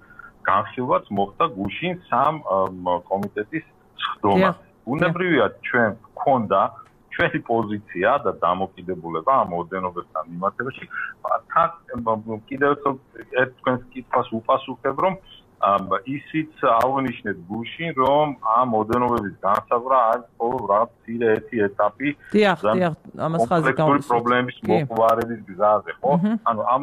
განხილვაც მოხდა გუშინ სამ კომიტეტის სხდომა. უნებრივია ჩვენ გვქონდა ჩვენი პოზიცია და დამოკიდებულება ამ ოდენობებთან მიმართებაში. კიდევ ერთ თქვენს კითხვას უპასუხებ, რომ ისიც აღნიშნეთ გუშინ, რომ ამ ოდენობების განსაზღვრა არის მხოლოდ რაღაც მცირე ერთი ეტაპი პრობლემის მოყვარების გზაზე, ხო? ანუ ამ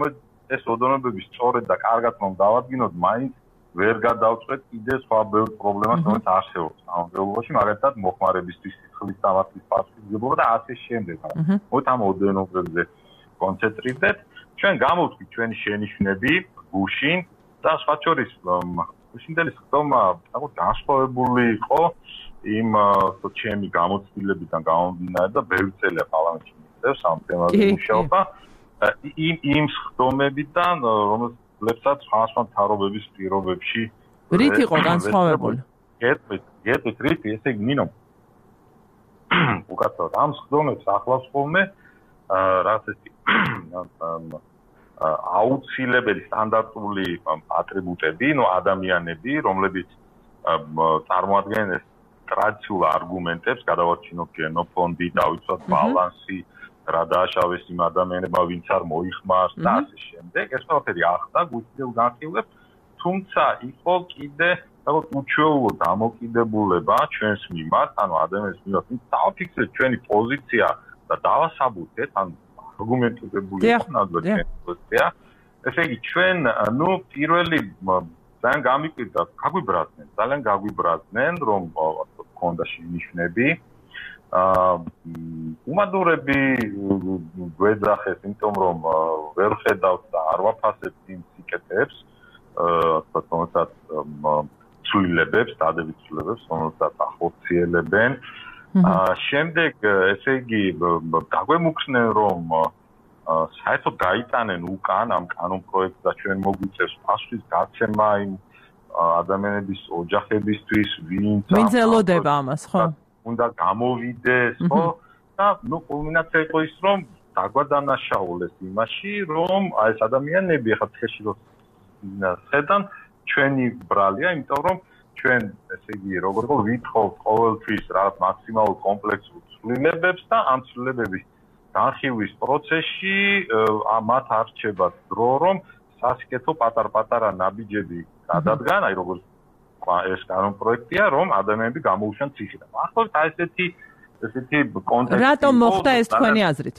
ეს ოდენობები სწორედ და კარგად რომ დავადგინოთ, მაინც ვერ გადავწყვეტ კიდე სხვა ბევრ პრობლემას, რომელიც არსებობს ამ დელობაში, მაგალითად მოხმარებისთვის სიხლის სამართლის პასუხისმგებლობა და ასე შემდეგ. მოით ამ ოდენობებზე კონცენტრირდეთ. ჩვენ გამოვთქვით ჩვენი შენიშვნები გუშინ და სხვა შორის გუშინდელი ხდომა თქო განსხვავებული იყო იმ ჩემი გამოცდილებიდან გამომდინარე და ბევრი წელია პარლამენტში მიწევს ამ თემაზე მუშაობა იმ იმ ხდომებიდან რომლებსაც სხვა მთავრობების პირობებში რით იყო განსხვავებული? გეტყვით, გეტყვით რით, ესე იგი ნინო უკაცრავად ამ ხდომებს ახლავს ხოლმე რაღაც ესეთი აუცილებელი სტანდარტული ატრიბუტები, ნუ ადამიანები, რომლებიც წარმოადგენენ ტრადიციულ არგუმენტებს, გადავარჩინოთ გენოფონდი, დავიცვათ ბალანსი, რა დააშავეს იმ ადამიანებმა, ვინც არ მოიხმარს და ასე შემდეგ. ეს ყველაფერი ახდა გუშინდელ განხილვებს, თუმცა იყო კიდე რაღაც უჩვეულო დამოკიდებულება ჩვენს მიმართ, ანუ ადამიანის მიმართ, ვინც დავაფიქსირეთ ჩვენი პოზიცია და დავასაბუთეთ, ანუ არგუმენტირებული ნაკლები ჩვენი პოზიცია. ესე იგი ჩვენ, ნუ პირველი ძალიან გამიკვირდა, გაგვიბრაზდნენ, ძალიან გაგვიბრაზდნენ, რომ გქონდა შენიშვნები. აა უმადურები გვეძახეს, იმიტომ რომ ვერ ხედავთ და არ ვაფასებთ იმ სიკეთეებს, აა თუმცაც ცვლილებებს, დადებით ცვლილებებს, რომელსაც ახორციელებენ. აა შემდეგ ესე იგი დაგვემუქრნენ, რომ საერთოდ გაიტანენ უკან ამ კანონ პროექტს და ჩვენ მოგვიწევს პასუხის გაცემა იმ ადამიანების ოჯახებისთვის, ვინც ვინც ელოდება ამას, ხო? უნდა გამოვიდეს, ხო? და ნუ კულმინაცია იყო ის, რომ დაგვადანაშაულეს იმაში, რომ აი ეს ადამიანები ახლა ცხეში რო ხედან ჩვენი ბრალია, იმიტომ რომ ჩვენ ესე იგი როგორ იყო ვითხოვთ ყოველთვის რაღაც მაქსიმალურ კომპლექსურ ცვლილებებს და ამ ცვლილებების განხილვის პროცესში მათ არჩებათ დრო, რომ სასიკეთო პატარ-პატარა ნაბიჯები გადადგან, აი როგორც ეს კანონ პროექტია, რომ ადამიანები გამოუშვან ციხიდან. ახლა ესეთი ესეთი კონტექსტი. რატომ მოხდა ეს თქვენი აზრით?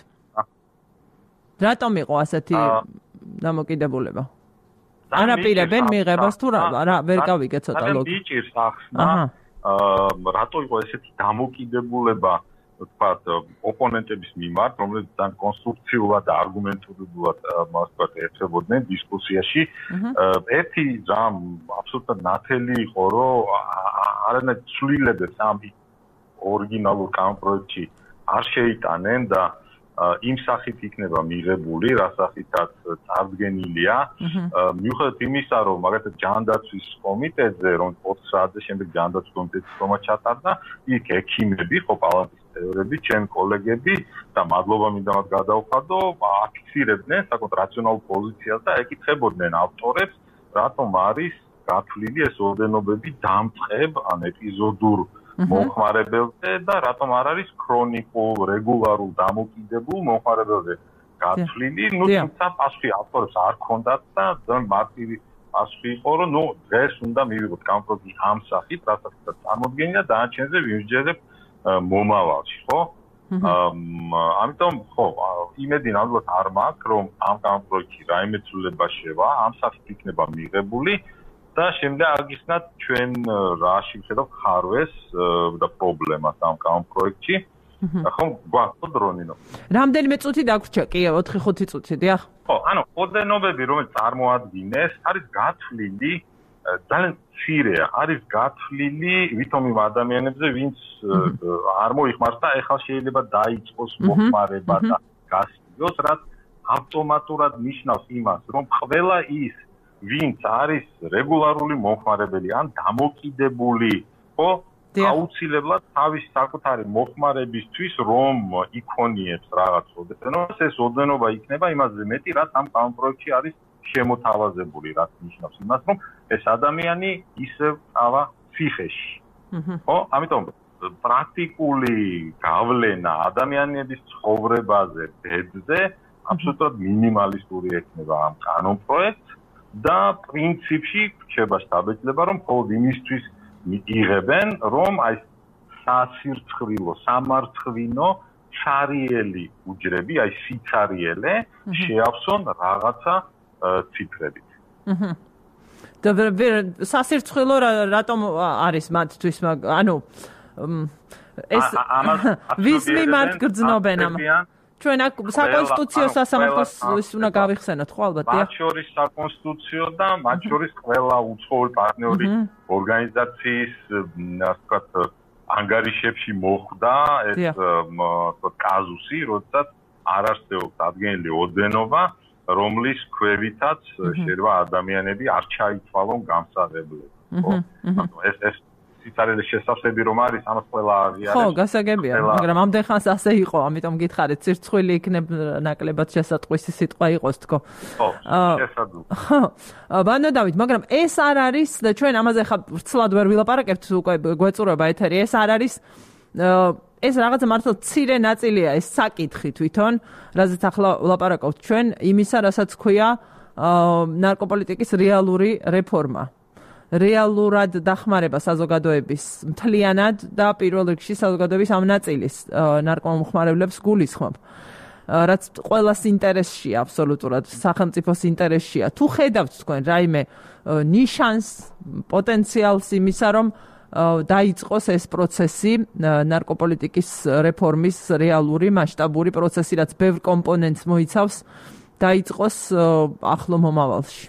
რატომ იყო ასეთი დამოკიდებულება? არაპირებენ მიღებას თუ რა ვერ გავიგე ცოტა ლოგიკა. ძალიან მიჭირს ახსნა. აა რატო იყო ესეთი დამოკიდებულება ვთქვათ ოპონენტების მიმართ, რომლებიც ძალიან კონსტრუქციულად და არგუმენტულად მას ვთქვათ ეცებოდნენ დისკუსიაში. ერთი ძამ აბსოლუტურად ნათელი იყო, რომ არანაირ ცვლილებებს ამ ორიგინალურ კანონპროექტში არ შეიტანენ და იმ სახით იქნება მიღებული, რა სახითაც წარდგენილია. მიუხედავად იმისა, რომ მაგალითად ჯანდაცვის კომიტეტზე, რომ ოთხ საათზე შემდეგ ჯანდაცვის კომიტეტის ხდომა ჩატარდა, იქ ექიმები, ხო პალატის წევრები, ჩემი კოლეგები და მადლობა მინდა მათ გადავხადო, აფიქსირებდნენ საკუთარ რაციონალურ პოზიციას და ეკითხებოდნენ ავტორებს, რატომ არის გათვლილი ეს ორდენობები დამწყებ ან ეპიზოდურ მომხმარებელზე და რატომ არ არის ქრონიკულ, რეგულარულ დამოკიდებულ მომხმარებელზე გათვლილი. ნუ თუმცა პასუხი ავტორებს არ ჰქონდათ და ძალიან მარტივი პასუხი იყო, რომ ნუ დღეს უნდა მივიღოთ კანონპროექტი ამ სახით, რასაც წარმოდგენია და დანარჩენზე ვიმსჯერებთ მომავალში, ხო? ამიტომ ხო, იმედი ნამდვილად არ მაქვს, რომ ამ კანონპროექტში რაიმე ცვლილება შევა, ამ სახით იქნება მიღებული. და შემდეგ აგიხსნათ ჩვენ რაში ვხედავთ ხარვეს და პრობლემას ამ კანონპროექტში. ხო, გვაქვს დრონინო. რამდენიმე წუთი დაგვრჩა, კი, ოთხი ხუთი წუთი, დიახ. ხო, ანუ ოდენობები, რომელიც წარმოადგენს, არის გათვლილი ძალიან მცირეა, არის გათვლილი ვითომ იმ ადამიანებზე, ვინც არ მოიხმარს და ეხლა შეიძლება დაიწყოს მოხმარება და გასწიოს, რაც ავტომატურად ნიშნავს იმას, რომ ყველა ის ვინც არის რეგულარული მომხმარებელი ან დამოკიდებული, ხო, აუცილებლად თავის საკუთარი მომხმარებისთვის რომ იქონიებს რაღაც ოდენობას, ეს ოდენობა იქნება იმაზე მეტი, რაც ამ კანონპროექტში არის შემოთავაზებული, რაც ნიშნავს იმას, რომ ეს ადამიანი ისევ ავა ციხეში. ხო, ამიტომ პრაქტიკული გავლენა ადამიანების ცხოვრებაზე, ბედზე აბსოლუტურად მინიმალისტური ექნება ამ კანონპროექტს. და პრინციპში რჩება შთაბეჭდილება, რომ მხოლოდ იმისთვის იღებენ, რომ აი სასირცხვილო, სამარცხვინო, ჩარიელი უჯრები, აი სიცარიელე შეავსონ რაღაცა ციფრებით. და სასირცხვილო რატომ არის მათთვის, ანუ ეს ვის მიმართ გრძნობენ ამ ჩვენ აქ საკონსტიტუციო სასამართლოს უნდა გავიხსენოთ ხო ალბათ მათ შორის საკონსტიტუციო და მათ შორის ყველა უცხოური პარტნიორი ორგანიზაციის ასე ვთქვათ ანგარიშებში მოხვდა ეს ასე კაზუსი, როდესაც არ არსებობს ადგენილი ოდენობა, რომლის ქვევითაც შეიძლება ადამიანები არ ჩაითვალონ გამსაღებლად. ეს ეს სიცარილის შესაძლებელი რომ არის, ამას ყველა აღიარებს. ხო, გასაგებია, მაგრამ ამდენ ხანს ასე იყო, ამიტომ გითხარით, ცირცხვილი იქნებ ნაკლებად შესატყვისი სიტყვა იყოს თქო. ხო, შესაძლოა. ხო, ბანო დავით, მაგრამ ეს არ არის და ჩვენ ამაზე ხა ვრცლად ვერ ვილაპარაკებთ, უკვე გვეწურება ეთერი, ეს არ არის ეს რაღაცა მართლა ცირე ნაწილია ეს საკითხი თვითონ, რაზეც ახლა ვლაპარაკობთ ჩვენ, იმისა, რასაც ქვია ნარკოპოლიტიკის რეალური რეფორმა. რეალურად დახმარება საზოგადოების მთლიანად და პირველ რიგში საზოგადოების ამ ნაწილის ნარკომომხმარებლებს გულისხმობ. რაც ყველას ინტერესშია აბსოლუტურად, სახელმწიფოს ინტერესშია. თუ ხედავთ თქვენ რაიმე ნიშანს, პოტენციალს იმისა, რომ დაიწყოს ეს პროცესი, ნარკოპოლიტიკის რეფორმის რეალური მასშტაბური პროცესი, რაც ბევრ კომპონენტს მოიცავს, დაიწყოს ახლო მომავალში.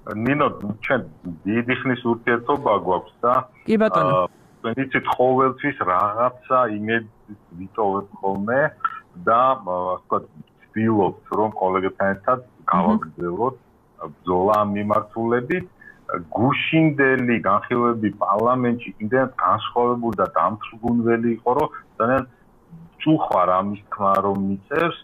ნინო, ჩვენ დიდი ხნის ურთიერთობა გვაქვს და კი ბატონო. თქვენ იცით ყოველთვის რაღაცა იმედს ვიტოვებთ ხოლმე და ასე ვთქვათ, ვცდილობთ რომ კოლეგებთან ერთად გავაგრძელოთ ბრძოლა ამ მიმართულებით. გუშინდელი განხილვები პარლამენტში იმდენად განსხვავებული და დამთრგუნველი იყო, რომ ძალიან წუხარ ამის თქმა რომ მიწევს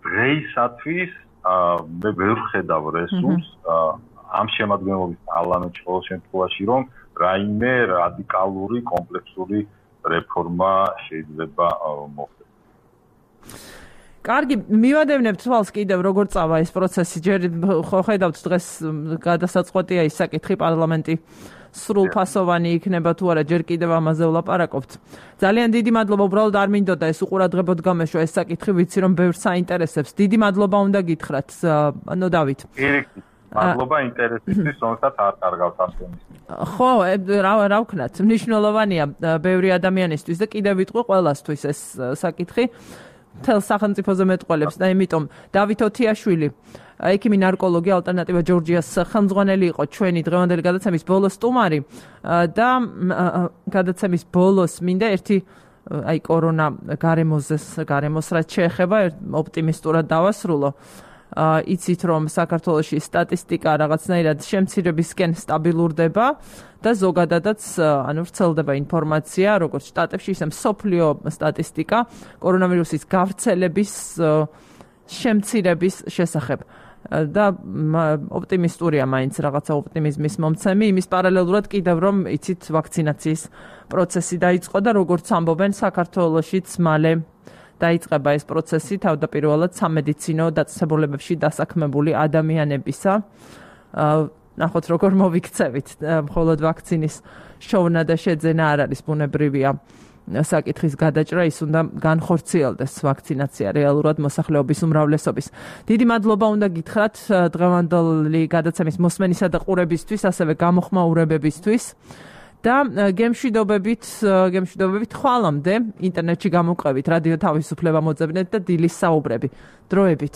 დღეისათვის მე ვერ ხედავ რესურსს ამ შემადგენლობის პარლამენტში ყოველ შემთხვევაში რომ რაიმე რადიკალური კომპლექსური რეფორმა შეიძლება მოხდეს. კარგი, მივადევნებთ თვალს კიდევ როგორ წავა ეს პროცესი. ჯერ ხო ხედავთ დღეს გადასაწყვეტია ის საკითხი პარლამენტი სრულფასოვანი იქნება თუ არა, ჯერ კიდევ ამაზე ვლაპარაკობთ. ძალიან დიდი მადლობა, უბრალოდ არ მინდოდა ეს უყურადღებოდ გამეშვა ეს საკითხი, ვიცი რომ ბევრს აინტერესებს. დიდი მადლობა უნდა გითხრათ, ანუ დავით. მადლობა ინტერესისთვის, რომელსაც არ კარგავთ ამ თემის. ხო, რა რა ვქნათ, მნიშვნელოვანია ბევრი ადამიანისთვის და კიდევ ვიტყვი ყველასთვის ეს საკითხი. თელ სახელმწიფოზე მეტყველებს და იმიტომ დავით ოთიაშვილი, ექიმი ნარკოლოგი ალტერნატივა ჯორჯიას ხელმძღვანელი იყო ჩვენი დღევანდელი გადაცემის ბოლოს სტუმარი და გადაცემის ბოლოს მინდა ერთი აი კორონა გარემოზეს გარემოს რაც შეეხება ოპტიმისტურად დავასრულო. იცით რომ საქართველოში სტატისტიკა რაღაცნაირად შემცირებისკენ სტაბილურდება და ზოგადადაც ანუ ვრცელდება ინფორმაცია როგორც შტატებში ისე მსოფლიო სტატისტიკა კორონავირუსის გავრცელების შემცირების შესახებ და ოპტიმისტურია მაინც რაღაცა ოპტიმიზმის მომცემი იმის პარალელურად კიდევ რომ იცით ვაქცინაციის პროცესი დაიწყო და როგორც ამბობენ საქართველოშიც მალე დაიწყება ეს პროცესი თავდაპირველად სამედიცინო დაწესებულებებში დასაქმებული ადამიანებისა. ნახოთ როგორ მოვიქცევით, მხოლოდ ვაქცინის შოვნა და შეძენა არ არის ბუნებრივია საკითხის გადაჭრა, ის უნდა განხორციელდეს ვაქცინაცია რეალურად მოსახლეობის უმრავლესობის. დიდი მადლობა უნდა გითხრათ დღევანდელი გადაცემის მოსმენისა და ყურებისთვის, ასევე გამოხმაურებებისთვის. და გემშვიდობებით, გემშვიდობებით ხვალამდე ინტერნეტში გამოვყევით რადიო თავისუფლება მოძებნეთ და დილის საუბრები. დროებით.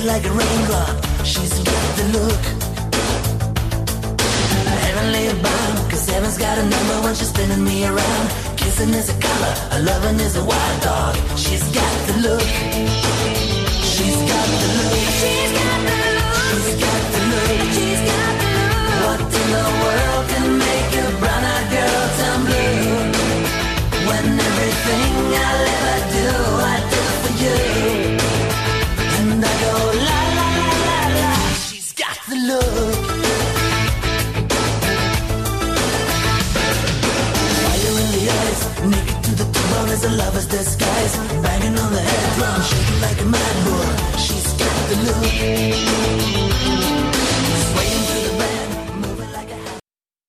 Like a raindrop, she's got the look. Heavenly bound, cause heaven's got a number when she's spinning me around. Kissing is a color, a loving is a wild dog. She's got the look. She's got the look. She's got the look. She's got the look. She's got the look. What in the world can make a brown-eyed girl turn blue? When everything I'll ever do, I do for you. And I go la la la la la. She's got the look. lover's disguise, banging on the head drum, shaking like a mad bull. She's got the look.